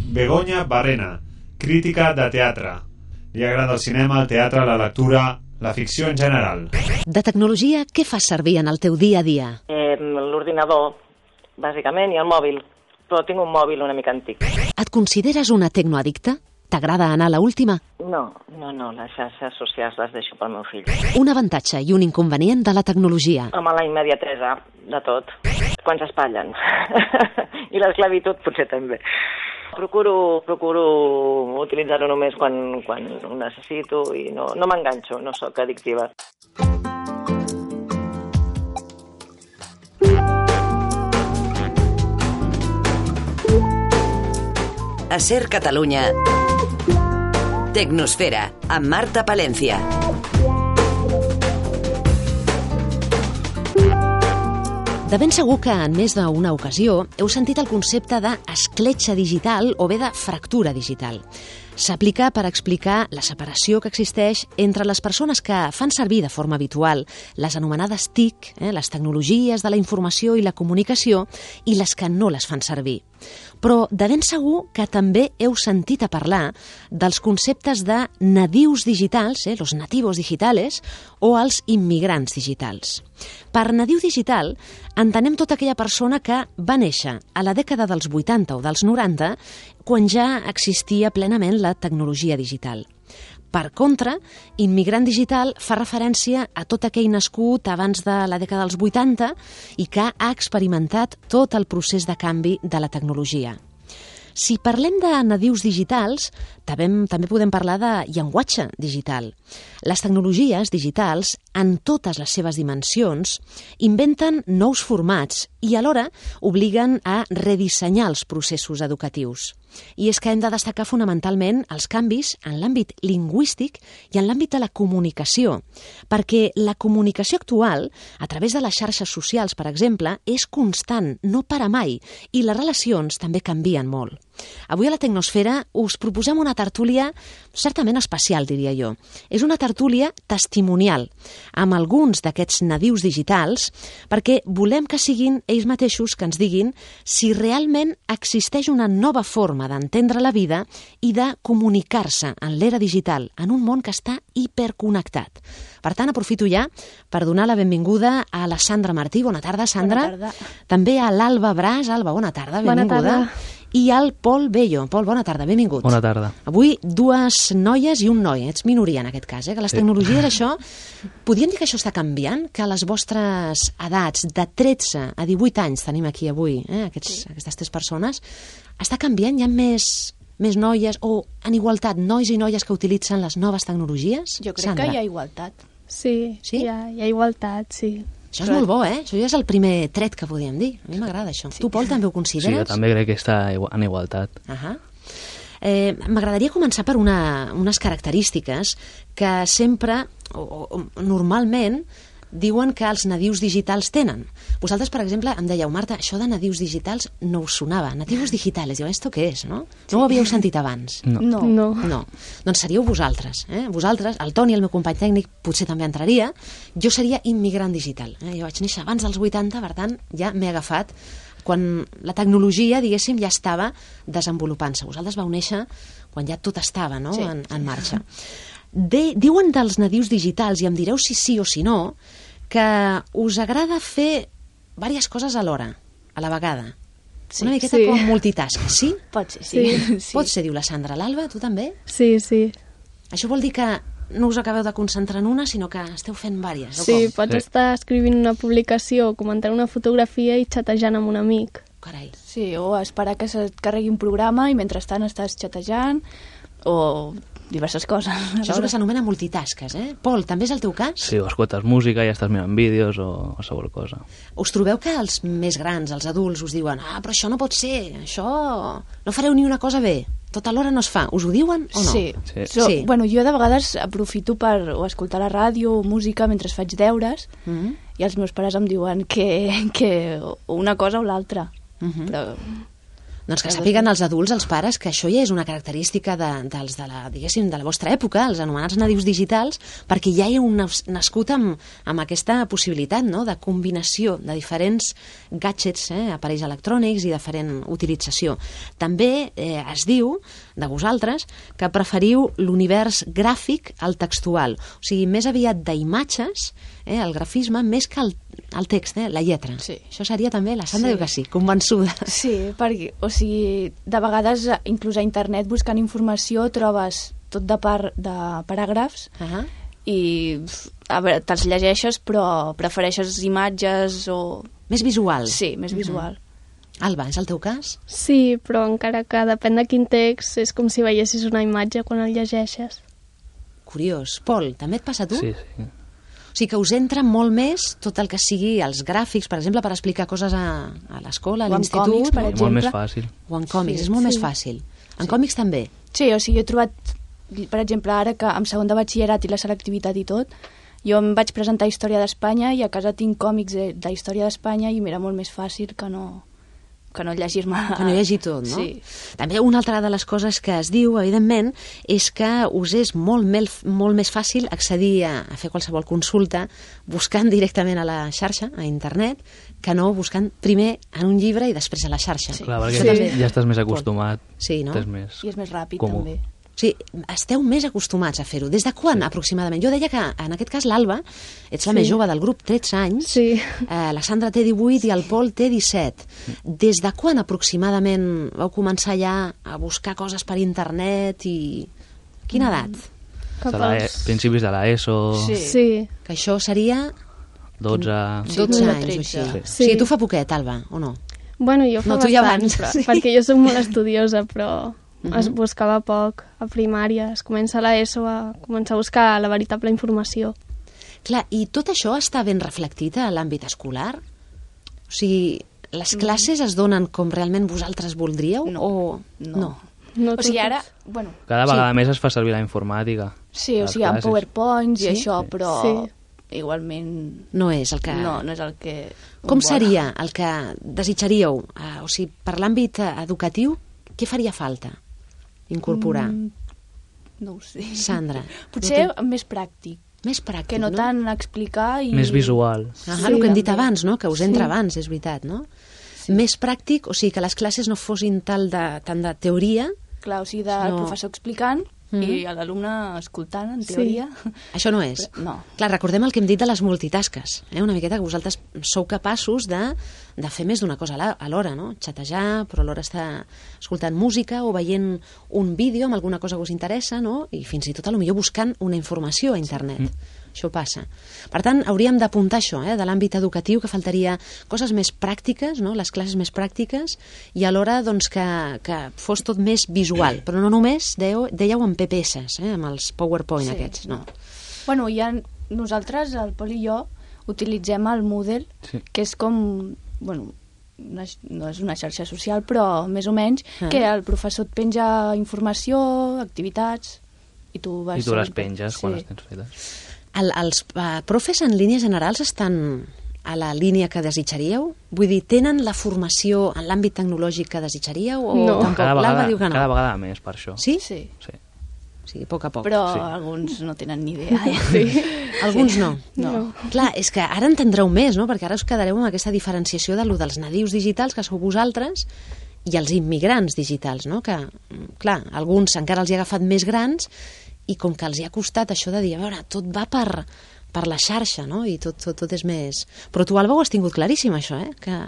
Begoña Barrena, crítica de teatre. Li agrada el cinema, el teatre, la lectura, la ficció en general. De tecnologia, què fas servir en el teu dia a dia? L'ordinador, bàsicament, i el mòbil. Però tinc un mòbil una mica antic. Et consideres una tecnoaddicta? T'agrada anar a la última? No, les xarxes socials les deixo pel meu fill. Un avantatge i un inconvenient de la tecnologia. Home, la immediatesa de tot, quan s'espatllen. I l'esclavitud potser també. Procuro utilitzar-ho només quan ho necessito i no m'enganxo, no sóc addictiva. A Ser Catalunya, Tecnosfera, amb Marta Palencia. De ben segur que en més d'una ocasió heu sentit el concepte d'escletxa digital o bé de fractura digital. S'aplica per explicar la separació que existeix entre les persones que fan servir de forma habitual les anomenades TIC, les tecnologies de la informació i la comunicació, i les que no les fan servir. Però de ben segur que també heu sentit a parlar dels conceptes de nadius digitals, los nativos digitales, o els immigrants digitals. Per nadiu digital entenem tota aquella persona que va néixer a la dècada dels 80 o dels 90 quan ja existia plenament la tecnologia digital. Per contra, immigrant digital fa referència a tot aquell nascut abans de la dècada dels 80 i que ha experimentat tot el procés de canvi de la tecnologia. Si parlem de nadius digitals, també podem parlar de llenguatge digital. Les tecnologies digitals, en totes les seves dimensions, inventen nous formats i alhora obliguen a redissenyar els processos educatius. I és que hem de destacar fonamentalment els canvis en l'àmbit lingüístic i en l'àmbit de la comunicació, perquè la comunicació actual, a través de les xarxes socials, per exemple, és constant, no para mai, i les relacions també canvien molt. Avui a la Tecnosfera us proposem una tertúlia certament especial, diria jo. És una tertúlia testimonial amb alguns d'aquests nadius digitals perquè volem que siguin ells mateixos que ens diguin si realment existeix una nova forma d'entendre la vida i de comunicar-se en l'era digital en un món que està hiperconnectat. Per tant, aprofito ja per donar la benvinguda a la Sandra Martí. Bona tarda, Sandra. Bona tarda. També a l'Alba Bras. Alba, bona tarda, benvinguda. Bona tarda. I al Pol Bello. Pol, bona tarda, benvingut. Bona tarda. Avui dues noies i un noi. Ets minoria en aquest cas, que les tecnologies, això... Podríem dir que això està canviant? Que les vostres edats de 13 a 18 anys, tenim aquí avui, aquestes tres persones, està canviant? Hi ha més noies o en igualtat, nois i noies que utilitzen les noves tecnologies? Jo crec que hi ha igualtat. Sí, sí? Hi ha igualtat, sí. Això és molt bo, Això ja és el primer tret que podríem dir. A mi m'agrada això. Sí. Tu, Pol, també ho consideres? Sí, jo també crec que està en igualtat. M'agradaria començar per unes característiques que sempre, o normalment, diuen que els nadius digitals tenen. Vosaltres, per exemple, em dèieu, Marta, això de nadius digitals no us sonava. Nativos digitales, diu, ¿esto qué és, no? No ho havíeu sentit abans? No. Doncs seríeu vosaltres. Vosaltres, el Toni, el meu company tècnic, potser també entraria. Jo seria immigrant digital. Jo vaig néixer abans dels 80, per tant, ja m'he agafat quan la tecnologia, diguéssim, ja estava desenvolupant-se. Vosaltres vau néixer quan ja tot estava, no?, en marxa. Diuen dels nadius digitals, i em direu si sí o si no, que us agrada fer diverses coses alhora, a la vegada. Sí, una miqueta com multitask, sí? Pot ser, sí. Pot ser, diu la Sandra. L'Alba, tu també? Sí. Això vol dir que no us acabeu de concentrar en una, sinó que esteu fent diverses, sí, pots estar escrivint una publicació, comentant una fotografia i xatejant amb un amic. Carai. Sí, o esperar que se't carregui un programa i mentrestant estàs xatejant, o diverses coses. Això és el que s'anomena multitasques, Pol, també és el teu cas? Sí, o escoltes música i ja estàs mirant vídeos o qualsevol cosa. Us trobeu que els més grans, els adults, us diuen però això no pot ser, això no fareu ni una cosa bé, tot alhora no es fa. Us ho diuen o no? Sí. Bueno, jo de vegades aprofito per escoltar la ràdio o música mentre faig deures i els meus pares em diuen que una cosa o l'altra. Però... Doncs que sàpiguen els adults, els pares, que això ja és una característica de la vostra època, els anomenats nadius digitals, perquè ja hi heu nascut amb aquesta possibilitat, no?, de combinació de diferents gadgets, aparells electrònics i diferent utilització. També es diu de vosaltres que preferiu l'univers gràfic al textual, o sigui, més aviat d'imatges, el grafisme, més que el text, la lletra. Sí. Això seria també, la Sandra diu que sí, convençuda. Sí, perquè, o sigui, de vegades, inclús a internet, buscant informació, trobes tot de paràgrafs i, a veure, te'ls llegeixes, però prefereixes imatges o... Més visual. Sí, més visual. Alba, és el teu cas? Sí, però encara que depèn de quin text, és com si veiessis una imatge quan el llegeixes. Curiós. Pol, també et passa a tu? Sí. O sigui que us entra molt més tot el que sigui els gràfics, per exemple, per explicar coses a l'escola, a l'institut. O en còmics, per exemple. Molt més fàcil. O en còmics, és molt més fàcil. En còmics també? Sí, o sigui, jo he trobat, per exemple, ara que en segon de batxillerat i la selectivitat i tot, jo em vaig presentar Història d'Espanya i a casa tinc còmics d'Història d'Espanya i m'era molt més fàcil que no llegir-me... Que no llegir tot, no? Sí. També una altra de les coses que es diu, evidentment, és que us és molt més fàcil accedir a fer qualsevol consulta buscant directament a la xarxa, a internet, que no buscant primer en un llibre i després a la xarxa. Clar, perquè ja estàs més acostumat. Sí, no? I és més ràpid, comú. també. O sigui, esteu més acostumats a fer-ho. Des de quan, aproximadament? Jo deia que, en aquest cas, l'Alba, ets la més jove del grup, 13 anys, la Sandra té 18 i el Pol té 17. Des de quan, aproximadament, vau començar ja a buscar coses per internet i... Quina edat? Principis de l'ESO... Sí. Que això seria... 12 anys o així. O sigui, tu fa poquet, Alba, o no? Bueno, jo fa bastant, perquè jo soc molt estudiosa, però... es buscava poc a primària, es comença a l'ESO a començar a buscar la veritable informació. Clar, i tot això està ben reflectit a l'àmbit escolar? O sigui, les classes es donen com realment vosaltres voldríeu? No. No, o sigui, ara... Bueno, cada vegada més es fa servir la informàtica. Sí, o sigui, amb PowerPoints i això, però igualment... No és el que... No és el que... Com seria el que desitjaríeu? O sigui, per l'àmbit educatiu, què faria falta incorporar? No ho sé. Sandra. Potser més pràctic. Més pràctic, que no tant explicar i... Més visual. El que hem dit abans, no? Que us entra abans, és veritat, no? Més pràctic, o sigui, que les classes no fossin tant de teoria... Clar, o sigui, del professor explicant i l'alumne escoltant, en teoria. Això no és. No. Clar, recordem el que hem dit de les multitasques, una miqueta que vosaltres sou capaços de fer més d'una cosa alhora, no? Xatejar, però alhora estar escoltant música o veient un vídeo amb alguna cosa que us interessa, no? I fins i tot potser buscant una informació a internet. Això passa. Per tant, hauríem d'apuntar això, de l'àmbit educatiu, que faltaria coses més pràctiques, no? Les classes més pràctiques, i alhora doncs, que fos tot més visual, però no només, dèieu en PPS, amb els PowerPoint aquests, no. Bueno, nosaltres, el Pol i jo, utilitzem el Moodle, que és com, bueno, no és una xarxa social, però més o menys, que el professor et penja informació, activitats, i tu les penges quan les tens fetes. Els profes en línies generals estan a la línia que desitjaríeu? Vull dir, tenen la formació en l'àmbit tecnològic que desitjaríeu? O no. Tampoc? L'Alba diu que no. Cada vegada més, per això. Sí? Sí. O sigui, a poc a poc. Però alguns no tenen ni idea. Alguns no. Clar, és que ara entendreu més, no? Perquè ara us quedareu amb aquesta diferenciació dels nadius digitals, que sou vosaltres, i els immigrants digitals, no? Que, clar, alguns encara els hi ha agafat més grans, i com que els hi ha costat això de dir, a veure, tot va per la xarxa, no? I tot és més... Però tu, Alba, ho has tingut claríssim, això, que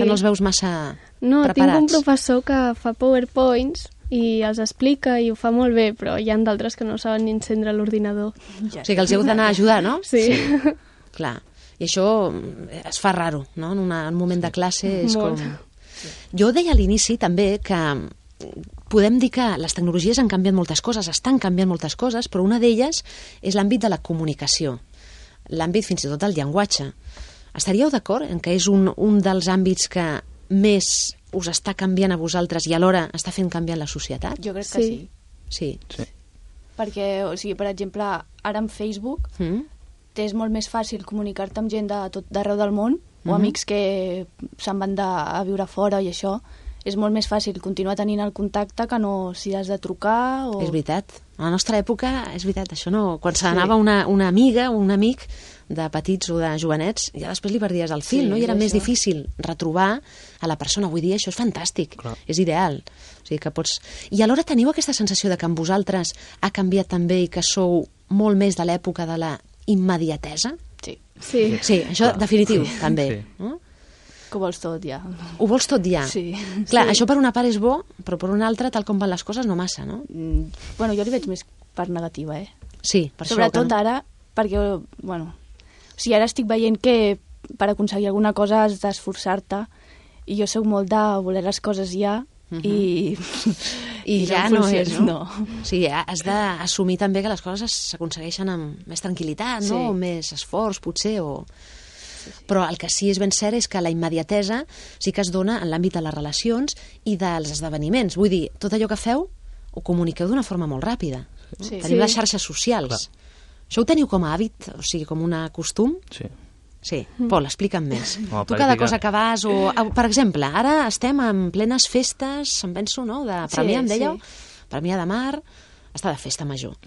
no els veus massa preparats. Tinc un professor que fa PowerPoints i els explica i ho fa molt bé, però hi ha d'altres que no saben ni encendre l'ordinador. O sigui que els heu d'anar a ajudar, no? Sí. Clar. I això es fa raro, no? En un moment de classe és com... Jo deia a l'inici també que podem dir que les tecnologies han canviat moltes coses, estan canviant moltes coses, però una d'elles és l'àmbit de la comunicació, l'àmbit fins i tot del llenguatge. Estaríeu d'acord en que és un dels àmbits que més us està canviant a vosaltres i alhora està fent canviar la societat? Jo crec que sí. Sí. Perquè, o sigui, per exemple, ara amb Facebook és molt més fàcil comunicar-te amb gent de tot d'arreu del món, o amics que se'n van a viure fora i això. És molt més fàcil continuar tenint el contacte que no si has de trucar o... És veritat. A la nostra època, és veritat, això no... Quan se n'anava una amiga o un amic de petits o de jovenets, ja després li perdies el fil, no? I era més difícil retrobar a la persona. Vull dir, això és fantàstic, és ideal. O sigui que pots... I alhora teniu aquesta sensació de que amb vosaltres ha canviat també i que sou molt més de l'època de la immediatesa? Sí, això definitiu, també. Que ho vols tot ja. Ho vols tot ja? Sí. Clar, això per una part és bo, però per una altra, tal com van les coses, no massa, no? Bueno, jo li veig més part negativa, Sí, per sobretot això. Ara, perquè, bueno, o sigui, ara estic veient que per aconseguir alguna cosa has d'esforçar-te, i jo soc molt de voler les coses ja, i ja no és, no? No. O sigui, has d'assumir també que les coses s'aconsegueixen amb més tranquil·litat, no? O més esforç, potser, o... Però el que sí és ben cert és que la immediatesa sí que es dona en l'àmbit de les relacions i dels esdeveniments. Vull dir, tot allò que feu ho comuniqueu d'una forma molt ràpida. Teniu les xarxes socials. Això ho teniu com a hàbit, o sigui, com un costum? Sí. Pol, explica'm més. Tu cada cosa que vas... Per exemple, ara estem en plenes festes, em penso, no?, de Premià, em dèieu? Premià de Mar... està de festa major.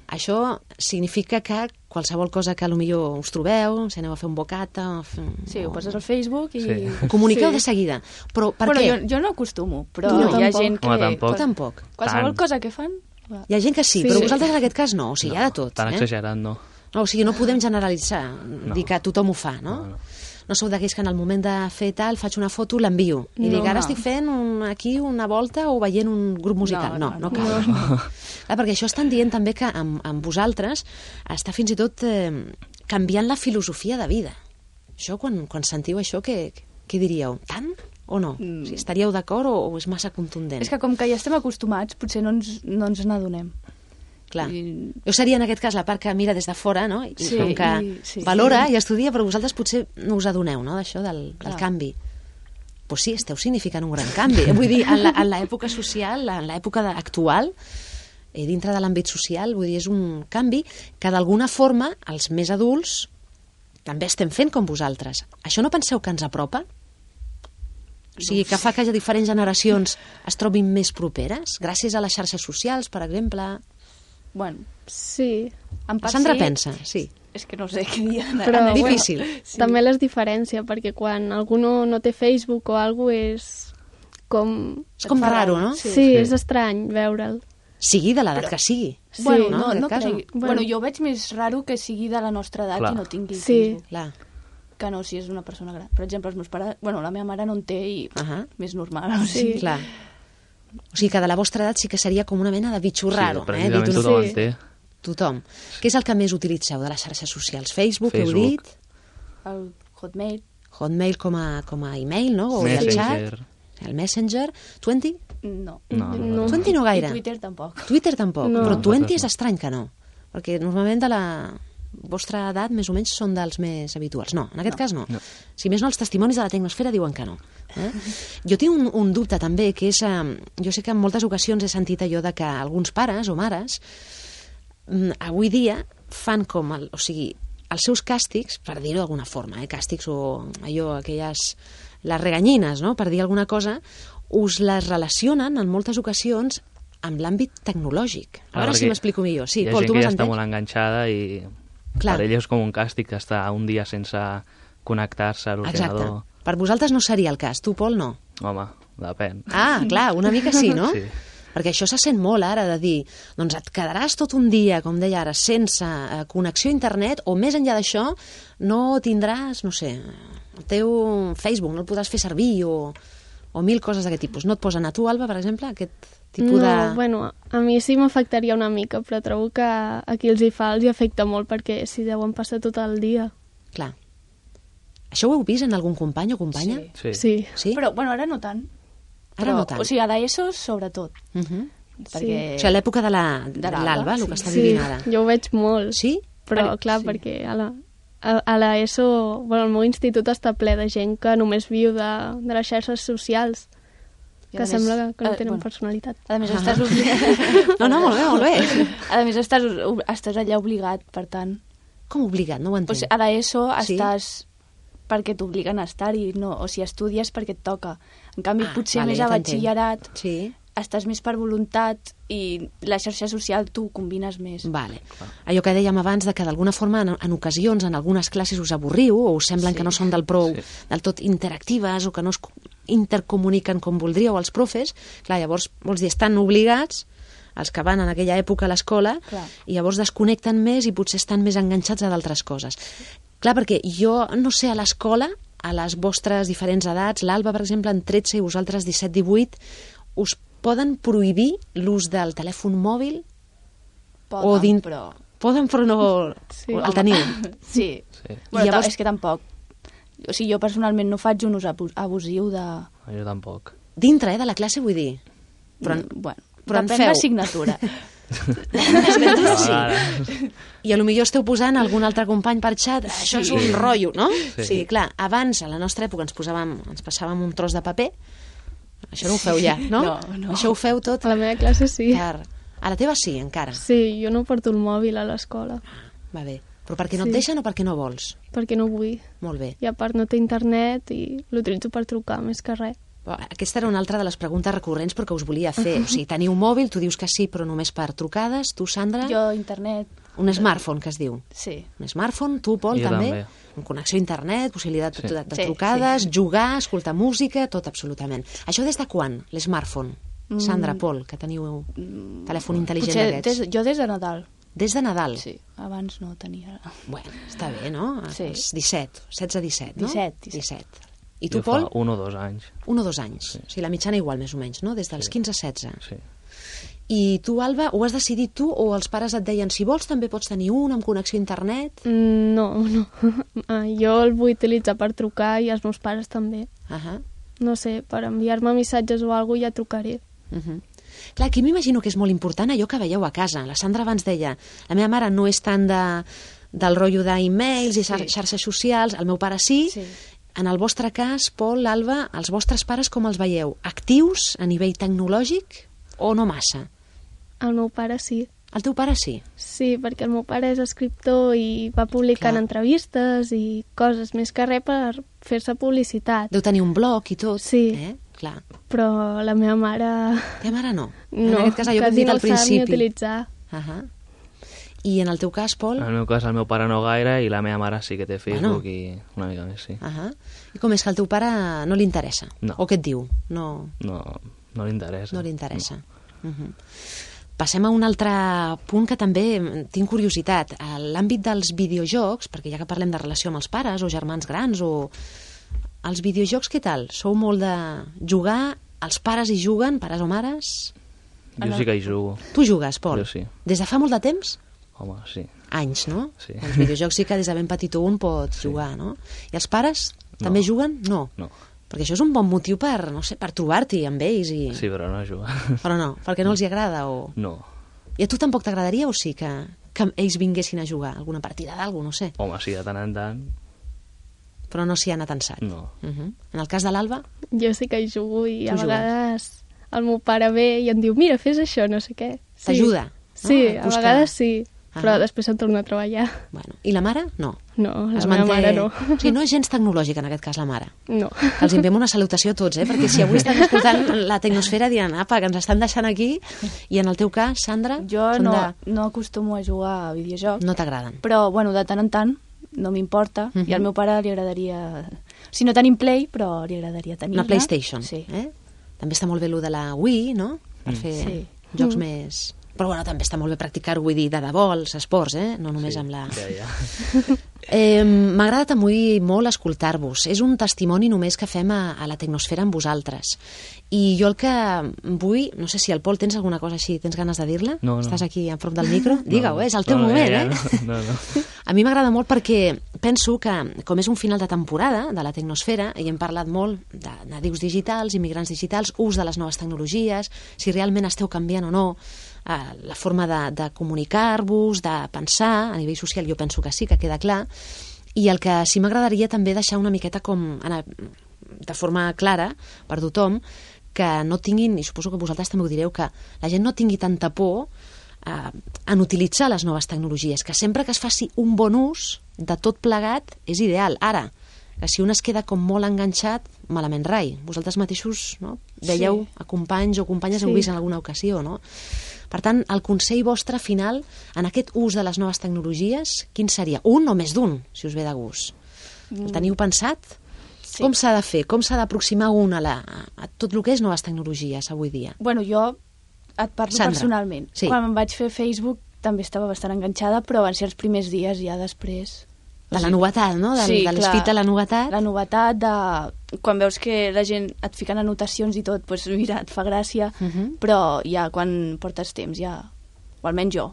Això significa que qualsevol cosa que potser us trobeu, si aneu a fer un bocata... ho poses al Facebook i... Ho comuniqueu de seguida. Però per què? Jo no acostumo, però hi ha gent que... Tu tampoc. Qualsevol cosa que fan... Hi ha gent que sí, però vosaltres en aquest cas no. O sigui, hi ha de tot. Tan exagerat, no. O sigui, no podem generalitzar, dir que tothom ho fa, no? No sou d'aquells que en el moment de fer tal faig una foto, l'envio. I dic, ara estic fent aquí una volta o veient un grup musical. No cal. Clar, perquè això estan dient també que amb vosaltres està fins i tot canviant la filosofia de vida. Això, quan sentiu això, què diríeu? Tant o no? O sigui, estaríeu d'acord o és massa contundent? És que com que ja estem acostumats, potser no ens n'adonem. Clar. Jo seria en aquest cas la part que mira des de fora, no? I com que valora i estudia, però vosaltres potser no us adoneu, no?, d'això, del canvi. Pues sí, esteu significant un gran canvi. Vull dir, en l'època social, en l'època actual, dintre de l'àmbit social, vull dir, és un canvi que d'alguna forma els més adults també estem fent com vosaltres. Això no penseu que ens apropa? O sigui, que fa que diferents generacions es trobin més properes, gràcies a les xarxes socials, per exemple. Bueno, sí. Sandra pensa, sí. És que no sé què dir. Però difícil. Sí. També les diferència, perquè quan algú no té Facebook o alguna cosa és com... És com raro, no? Sí, és estrany veure'l. Sigui de l'edat que sigui. Sí, bueno, no crec. Bueno, jo veig més raro que sigui de la nostra edat i no tingui Facebook. Clar. Que no si és una persona gran. Per exemple, els meus pares... Bueno, la meva mare no en té i més normal. O sigui. Clar. O sigui que de la vostra edat sí que seria com una mena de bitxo raro. Sí, pràcticament tothom en té. Tothom. Què és el que més utilitzeu de les xarxes socials? Facebook, heu dit? El Hotmail. Hotmail com a email, no? O el chat. El Messenger. 20? No. 20 no gaire. I Twitter tampoc. Twitter tampoc. No. Però 20 és estrany que no. Perquè normalment de la vostra edat més o menys són dels més habituals. No, en aquest cas no. Si més no, els testimonis de la tecnosfera diuen que no. Jo tinc un dubte també, que és... Jo sé que en moltes ocasions he sentit allò de que alguns pares o mares avui dia fan com... O sigui, els seus càstigs, per dir-ho d'alguna forma, càstigs o allò, aquelles... les reganyines, no?, per dir alguna cosa, us les relacionen en moltes ocasions amb l'àmbit tecnològic. A veure si m'explico millor. Sí, Pol, tu m'has entès? Hi ha gent que ja està molt enganxada i per ell és com un càstig estar un dia sense connectar-se a l'ordinador. Exacte. Per vosaltres no seria el cas. Tu, Pol, no? Home, depèn. Ah, clar, una mica sí, no? Sí. Perquè això se sent molt ara de dir, doncs et quedaràs tot un dia, com deia ara, sense connexió a internet, o més enllà d'això no tindràs, no sé, el teu Facebook, no el podràs fer servir, o mil coses d'aquest tipus. No et posen a tu, Alba, per exemple, aquest tipus de... No, bueno, a mi sí m'afectaria una mica, però trobo que a qui els hi fa els hi afecta molt, perquè si deuen passar tot el dia. Clar. Això ho heu vist en algun company o companya? Sí. Però, bueno, ara no tant. Ara no tant. O sigui, a l'ESO, sobretot. Perquè... O sigui, a l'època de l'Alba, el que està vivint ara. Jo ho veig molt. Sí? Però, clar, perquè a l'ESO, bueno, el meu institut està ple de gent que només viu de les xarxes socials, que sembla que no tenen personalitat. A més, estàs obligat... No, molt bé. A més, estàs allà obligat, per tant. Com obligat? No ho entenc. O sigui, a l'ESO estàs perquè t'obliguen a estar-hi, no, o sigui, estudies perquè et toca. En canvi, potser més a batxillerat estàs més per voluntat i la xarxa social tu combines més. Vale. Allò que dèiem abans, de que d'alguna forma en ocasions, en algunes classes us avorriu o us semblen que no són del tot interactives o que no es intercomuniquen com voldríeu els profes, clar, llavors vols dir, estan obligats els que van en aquella època a l'escola i llavors desconnecten més i potser estan més enganxats a d'altres coses. Clar, perquè jo no sé, a l'escola, a les vostres diferents edats, l'Alba, per exemple, en 13 i vosaltres 17-18, us poden prohibir l'ús del telèfon mòbil? Poden, però... Poden, però no... El teniu? Sí. Bueno, llavors... és que tampoc. O sigui, jo personalment no faig un ús abusiu de... Jo tampoc. Dintre, de la classe, vull dir? Però, bueno, depèn l'assignatura. Sí. I a lo millor esteu posant algun altre company per xat, això és un rotllo, no? Sí, clar, abans a la nostra època ens passàvem un tros de paper, això no ho feu ja, no? No. Això ho feu tot? A la meva classe sí. A la teva sí, encara? Sí, jo no porto el mòbil a l'escola. Va bé. Però perquè no et deixen o perquè no vols? Perquè no vull. Molt bé. I a part no té internet i l'utilitzo per trucar, més que res. Aquesta era una altra de les preguntes recurrents però que us volia fer. O sigui, teniu mòbil, tu dius que sí, però només per trucades. Tu, Sandra? Jo, internet. Un smartphone, que es diu. Sí. Un smartphone, tu, Pol, també? Amb connexió a internet, possibilitat de trucades, jugar, escoltar música, tot absolutament. Això des de quan, l'smartphone? Sandra, Pol, que teniu telèfon intel·ligent d'aquests. Jo des de Nadal. Des de Nadal? Sí, abans no tenia... Bueno, està bé, no? Sí. 16-17, no? 17. I tu, Pol? Jo fa 1 o 2 anys. 1 o 2 anys. Sí. O sigui, la mitjana igual, més o menys, no? Des dels 15 a 16. Sí. I tu, Alba, ho has decidit tu o els pares et deien si vols també pots tenir un amb connexió a internet? No. Jo el vull utilitzar per trucar i els meus pares també. No sé, per enviar-me missatges o alguna cosa ja trucaré. Clar, aquí m'imagino que és molt important allò que veieu a casa. La Sandra abans deia, la meva mare no és tant del rotllo d'e-mails i xarxes socials, el meu pare sí. En el vostre cas, Pol, Alba, els vostres pares com els veieu? Actius a nivell tecnològic o no massa? El meu pare sí. El teu pare sí? Sí, perquè el meu pare és escriptor i va publicant entrevistes i coses, més que res per fer-se publicitat. Deu tenir un blog i tot. Sí. Clar. Però la meva mare... La teva mare no? No, en aquest cas, allò que hem dit al principi. Quasi no sap ni utilitzar. I en el teu cas, Pol? En el meu cas, el meu pare no gaire i la meva mare sí que té Facebook i una mica més, sí. I com és que al teu pare no li interessa? No. O què et diu? No li interessa. No li interessa. No. Passem a un altre punt que també tinc curiositat. A l'àmbit dels videojocs, perquè ja que parlem de relació amb els pares o germans grans o... Els videojocs, què tal? Sou molt de jugar? Els pares hi juguen, pares o mares? Jo sí que hi jugo. Tu jugues, Pol? Jo sí. Des de fa molt de temps? Home, sí. Anys, no? Sí. Els videojocs sí que des de ben petit un pot jugar, no? I els pares també juguen? No. Perquè això és un bon motiu per, no sé, per trobar-t'hi amb ells i... Sí, però no jugar. Però no, perquè no els hi agrada o... No. I a tu tampoc t'agradaria o sí que ells vinguessin a jugar? Alguna partida d'algú, no sé. Home, sí, de tant en tant. Però no s'hi han atensat. No. En el cas de l'Alba? Jo sí que hi jugo i a vegades el meu pare ve i em diu mira, fes això, no sé què. T'ajuda? Sí, a vegades sí, però després em torno a treballar. Bueno. I la mare? No. No, la meva mare no. O sigui, no és gens tecnològica en aquest cas la mare. No. Que els enviem una salutació a tots, perquè si avui estan escoltant la Tecnosfera diran, apa, que ens estan deixant aquí, i en el teu cas, Sandra? Jo no acostumo a jugar a videojocs. No t'agraden. Però, bueno, de tant en tant no m'importa, i al meu pare li agradaria... O sigui, no tenim Play, però li agradaria tenir-la. Una PlayStation. Sí. També està molt bé el de la Wii, no? Per fer jocs més... Però bueno, també està molt bé practicar-ho, vull dir, de debò, els esports, no només amb la... Ja. M'ha agradat avui molt escoltar-vos. És un testimoni només que fem a la Tecnosfera amb vosaltres. I jo el que vull... No sé si el Pol tens alguna cosa així, tens ganes de dir-la? No. Estàs aquí en front del micro? Digue-ho, és el teu moment, No. A mi m'agrada molt perquè penso que, com és un final de temporada de la Tecnosfera, i hem parlat molt de nadius digitals, immigrants digitals, ús de les noves tecnologies, si realment esteu canviant o no la forma de comunicar-vos, de pensar, a nivell social jo penso que sí, que queda clar, i el que sí m'agradaria també deixar una miqueta com de forma clara per tothom, que no tinguin, i suposo que vosaltres també ho direu, que la gent no tingui tanta por en utilitzar les noves tecnologies, que sempre que es faci un bon ús de tot plegat és ideal. Ara, que si un es queda com molt enganxat, malament rai. Vosaltres mateixos dèieu a companys o companyes heu vist en alguna ocasió, no? Per tant, el consell vostre final en aquest ús de les noves tecnologies, quin seria? Un o més d'un, si us ve de gust? El teniu pensat? Sí. Com s'ha de fer? Com s'ha d'aproximar un a tot el que és noves tecnologies avui dia? Bueno, jo et parlo personalment. Sí. Quan em vaig fer Facebook també estava bastant enganxada, però van ser els primers dies, ja després... De la novetat, no? De l'espit de la novetat. La novetat de... Quan veus que la gent et fica anotacions i tot, doncs mira, et fa gràcia, però ja quan portes temps ja... O almenys jo.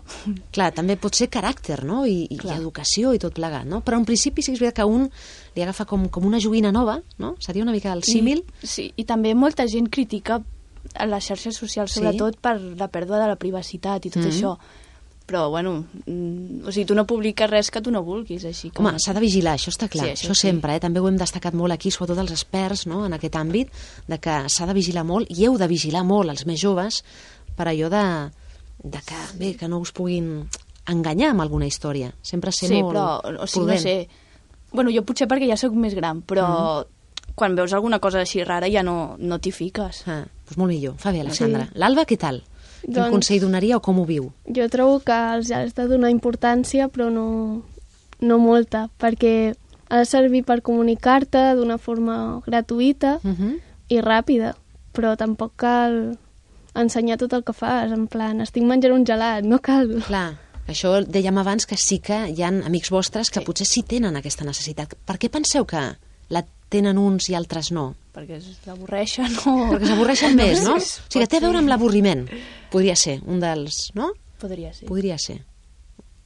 Clar, també pot ser caràcter, no? I educació i tot plegat, no? Però en principi sí que és veritat que un li agafa com una joguina nova, no? Seria una mica el símil. Sí, i també molta gent critica a les xarxes socials, sobretot per la pèrdua de la privacitat i tot això. Però, bueno, o sigui, tu no publiques res que tu no vulguis, així que... Home, s'ha de vigilar, això està clar, això sempre, també ho hem destacat molt aquí, sobretot els experts, no?, en aquest àmbit, de que s'ha de vigilar molt, i heu de vigilar molt els més joves, per allò de que, bé, que no us puguin enganyar amb alguna història, sempre ser molt prudent. O sigui, no sé, bueno, jo potser perquè ja sóc més gran, però quan veus alguna cosa així rara ja no t'hi fiques. Doncs molt millor, fa bé, Alexandra. L'Alba, què tal? Quin consell donaria o com ho viu? Jo trobo que els has de donar importància, però no molta, perquè ha de servir per comunicar-te d'una forma gratuïta i ràpida, però tampoc cal ensenyar tot el que fas, en plan, estic menjant un gelat, no cal. Clar, això dèiem abans que sí que hi ha amics vostres que potser sí tenen aquesta necessitat. Per què penseu que la tenen uns i altres no? Perquè s'avorreixen o... Perquè s'avorreixen més, no? O sigui, té a veure amb l'avorriment. Podria ser un dels... no? Podria ser. Podria ser.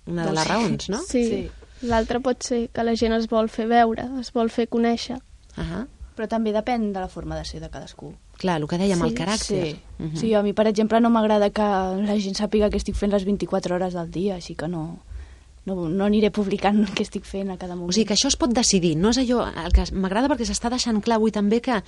Una de les raons, no? Sí. L'altre pot ser que la gent es vol fer veure, es vol fer conèixer. Però també depèn de la forma de ser de cadascú. Clar, el que dèiem, el caràcter. Sí, a mi, per exemple, no m'agrada que la gent sàpiga que estic fent les 24 hores del dia, així que no aniré publicant què estic fent a cada moment. O sigui, que això es pot decidir, no és allò... El que m'agrada perquè s'està deixant clar avui també que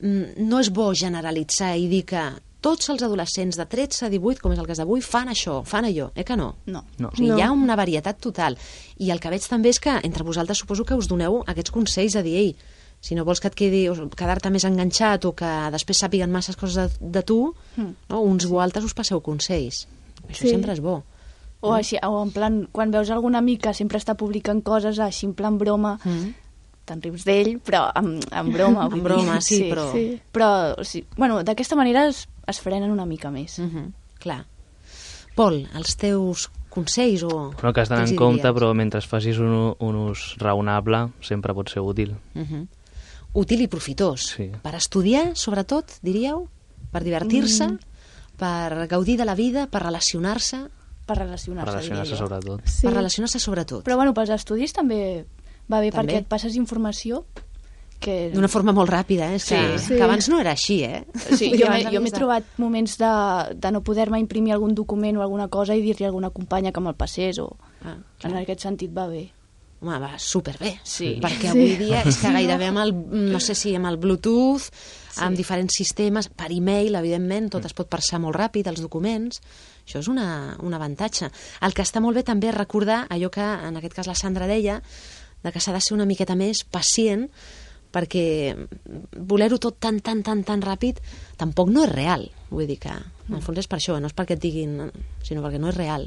no és bo generalitzar i dir que tots els adolescents de 13 a 18, com és el cas d'avui, fan això, fan allò, que no? No. O sigui, hi ha una varietat total. I el que veig també és que entre vosaltres suposo que us doneu aquests consells de dir, ei, si no vols que et quedar-te més enganxat o que després sàpiguen masses coses de tu, no? Uns o altres us passeu consells. Això sempre és bo. O així, o en plan, quan veus algun amic que sempre està publicant coses així en plan broma, te'n rius d'ell, però en broma. En broma, sí, però... Però, o sigui, bueno, d'aquesta manera es frenen una mica més. Clar. Pol, els teus consells o... Bueno, que has d'anar en compte, però mentre facis un ús raonable sempre pot ser útil. Útil i profitós. Sí. Per estudiar, sobretot, diríeu? Per divertir-se? Per gaudir de la vida? Per relacionar-se? Per relacionar-se, sobretot. Sí. Per relacionar-se sobretot. Però, bueno, pels estudis també va bé, perquè et passes informació que... D'una forma molt ràpida, és que abans no era així, Sí, jo m'he trobat moments de no poder-me imprimir algun document o alguna cosa i dir-li a alguna companya que me'l passés, o en aquest sentit va bé. Home, va superbé, sí. Perquè avui dia és que gairebé amb el, no sé si amb el Bluetooth, amb diferents sistemes, per e-mail, evidentment, tot es pot passar molt ràpid, els documents, això és un avantatge. El que està molt bé també és recordar allò que, en aquest cas, la Sandra deia, de que s'ha de ser una miqueta més pacient, perquè voler-ho tot tan ràpid tampoc no és real. Vull dir que, en el fons és per això, no és perquè et diguin, sinó perquè no és real.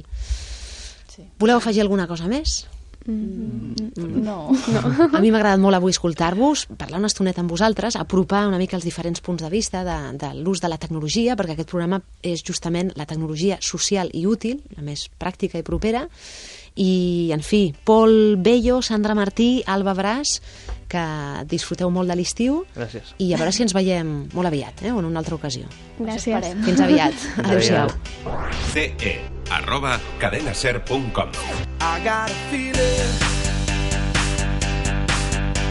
Voleu afegir alguna cosa més? No. A mi m'ha agradat molt avui escoltar-vos, parlar una estoneta amb vosaltres, apropar una mica els diferents punts de vista de l'ús de la tecnologia, perquè aquest programa és justament la tecnologia social i útil, la més pràctica i propera. I, en fi, Pol Bello, Sandra Martí, Alba Bràs, que disfruteu molt de l'estiu. Gràcies. I a veure si ens veiem molt aviat, o en una altra ocasió. Gràcies. Fins aviat. Adéu-siau. ce@cadenaser.com I got a feeling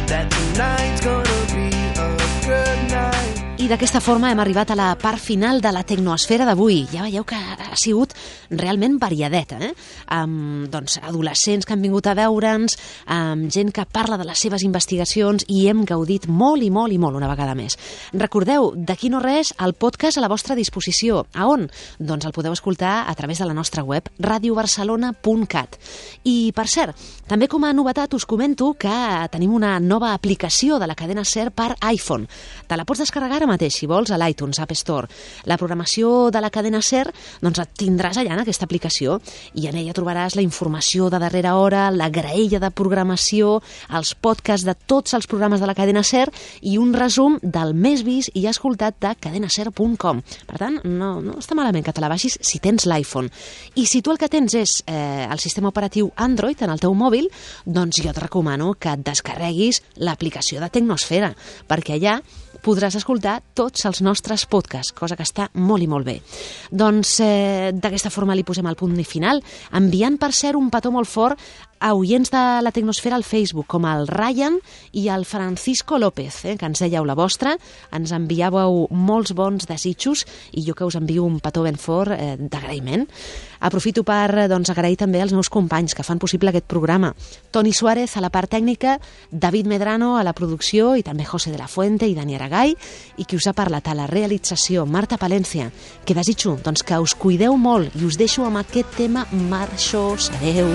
that tonight's gonna be a good night. I d'aquesta forma hem arribat a la part final de la Tecnoesfera d'avui. Ja veieu que ha sigut realment variadeta, amb adolescents que han vingut a veure'ns, amb gent que parla de les seves investigacions, i hem gaudit molt i molt i molt una vegada més. Recordeu, d'aquí no res, el podcast a la vostra disposició. A on? Doncs el podeu escoltar a través de la nostra web, radiobarcelona.cat. I, per cert, també com a novetat us comento que tenim una nova aplicació de la cadena SER per iPhone. Te la pots descarregar ara mateix, si vols, a l'iTunes App Store. La programació de la cadena SER, doncs et tindràs allà en aquesta aplicació, i en ella trobaràs la informació de darrera hora, la graella de programació, els podcasts de tots els programes de la cadena SER i un resum del més vist i escoltat de cadenaser.com. Per tant, no està malament que te la baixis si tens l'iPhone. I si tu el que tens és el sistema operatiu Android en el teu mòbil, doncs jo et recomano que et descarreguis l'aplicació de Tecnosfera, perquè allà podràs escoltar tots els nostres podcasts, cosa que està molt i molt bé. Doncs d'aquesta forma li posem el punt final, enviant per cert un petó molt fort a oients de la Tecnosfera al Facebook, com el Ryan i el Francisco López, que ens dèieu la vostra, ens enviàveu molts bons desitjos i jo que us envio un petó ben fort d'agraïment. Aprofito per agrair també als meus companys que fan possible aquest programa. Toni Suárez a la part tècnica, David Medrano a la producció i també José de la Fuente i Dani Aragay, i qui us ha parlat a la realització, Marta Palència, que desitjo que us cuideu molt i us deixo amb aquest tema marxós. Adeu.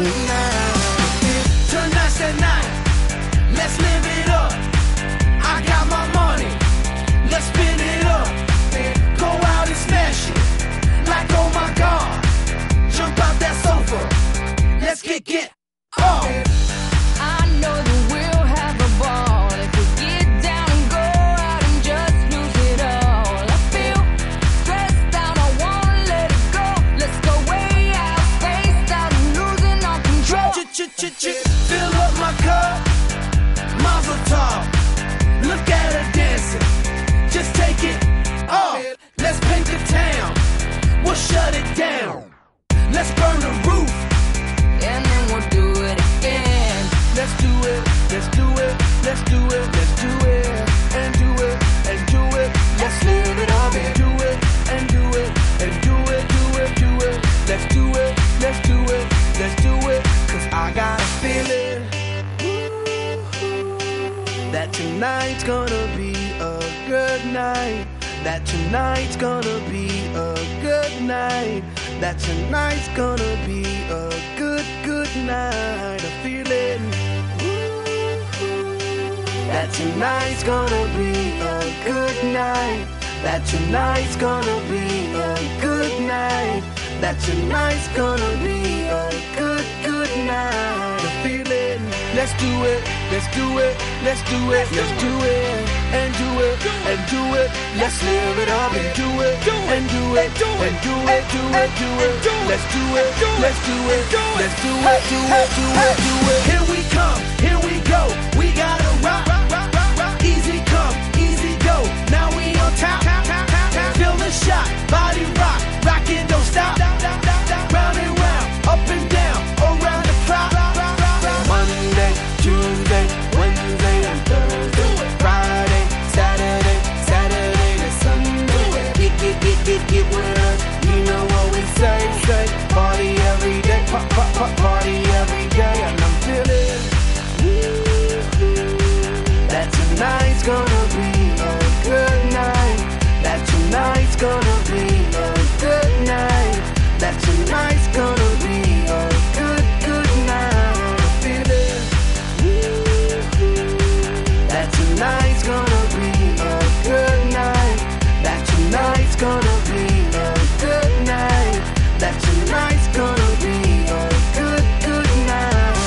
Tonight's the night, let's live it up. I got my money, let's spin it up. Go out and smash it, like oh my God. Jump out that sofa, let's kick it up. I know that we'll have a ball if we get down and go out and just lose it all. I feel stressed out, I wanna let it go. Let's go way out, spaced out and losing all control. Fill up my cup, Mazel tov. Look at her dancing, just take it off. Let's paint the town, we'll shut it down. Let's burn the roof, and then we'll do it again. Let's do it, let's do it, let's do it, let's do it, and do it, and do it. Let's live it up and do it, and do it, and do it, do it, do it. Let's do it, let's do it, let's do it. 'Cause I got a feeling that tonight's gonna be a good night. that tonight's gonna be a good night, that tonight's gonna be a good, good night. A feeling that tonight's gonna be a good night, that tonight's gonna be a good night, that tonight's gonna be a good, good night. A feeling, let's do it, let's do it, let's do it, let's do it, and do it, and do it. Let's live it up and do it, and do it, and do it, do it, do it. Let's do it, let's do it, let's do it, do it, do it, do it. Here we come, here we go, we gotta rock. Easy come, easy go, now we on top. Feel the shot, body rock, rockin' don't stop. Round and round, up and down, around the clock. Monday, Tuesday, Wednesday and Thursday, Friday, Saturday, Saturday to Sunday. Get with us, you know what we say. Party every day, party every day. And I'm feeling that tonight's gonna be a good night, that tonight's gonna be a good night, that tonight's gonna be a good, good night. I'm feeling that tonight's gonna be a good night, that tonight's gonna be a good night, that tonight's gonna be a good, good night.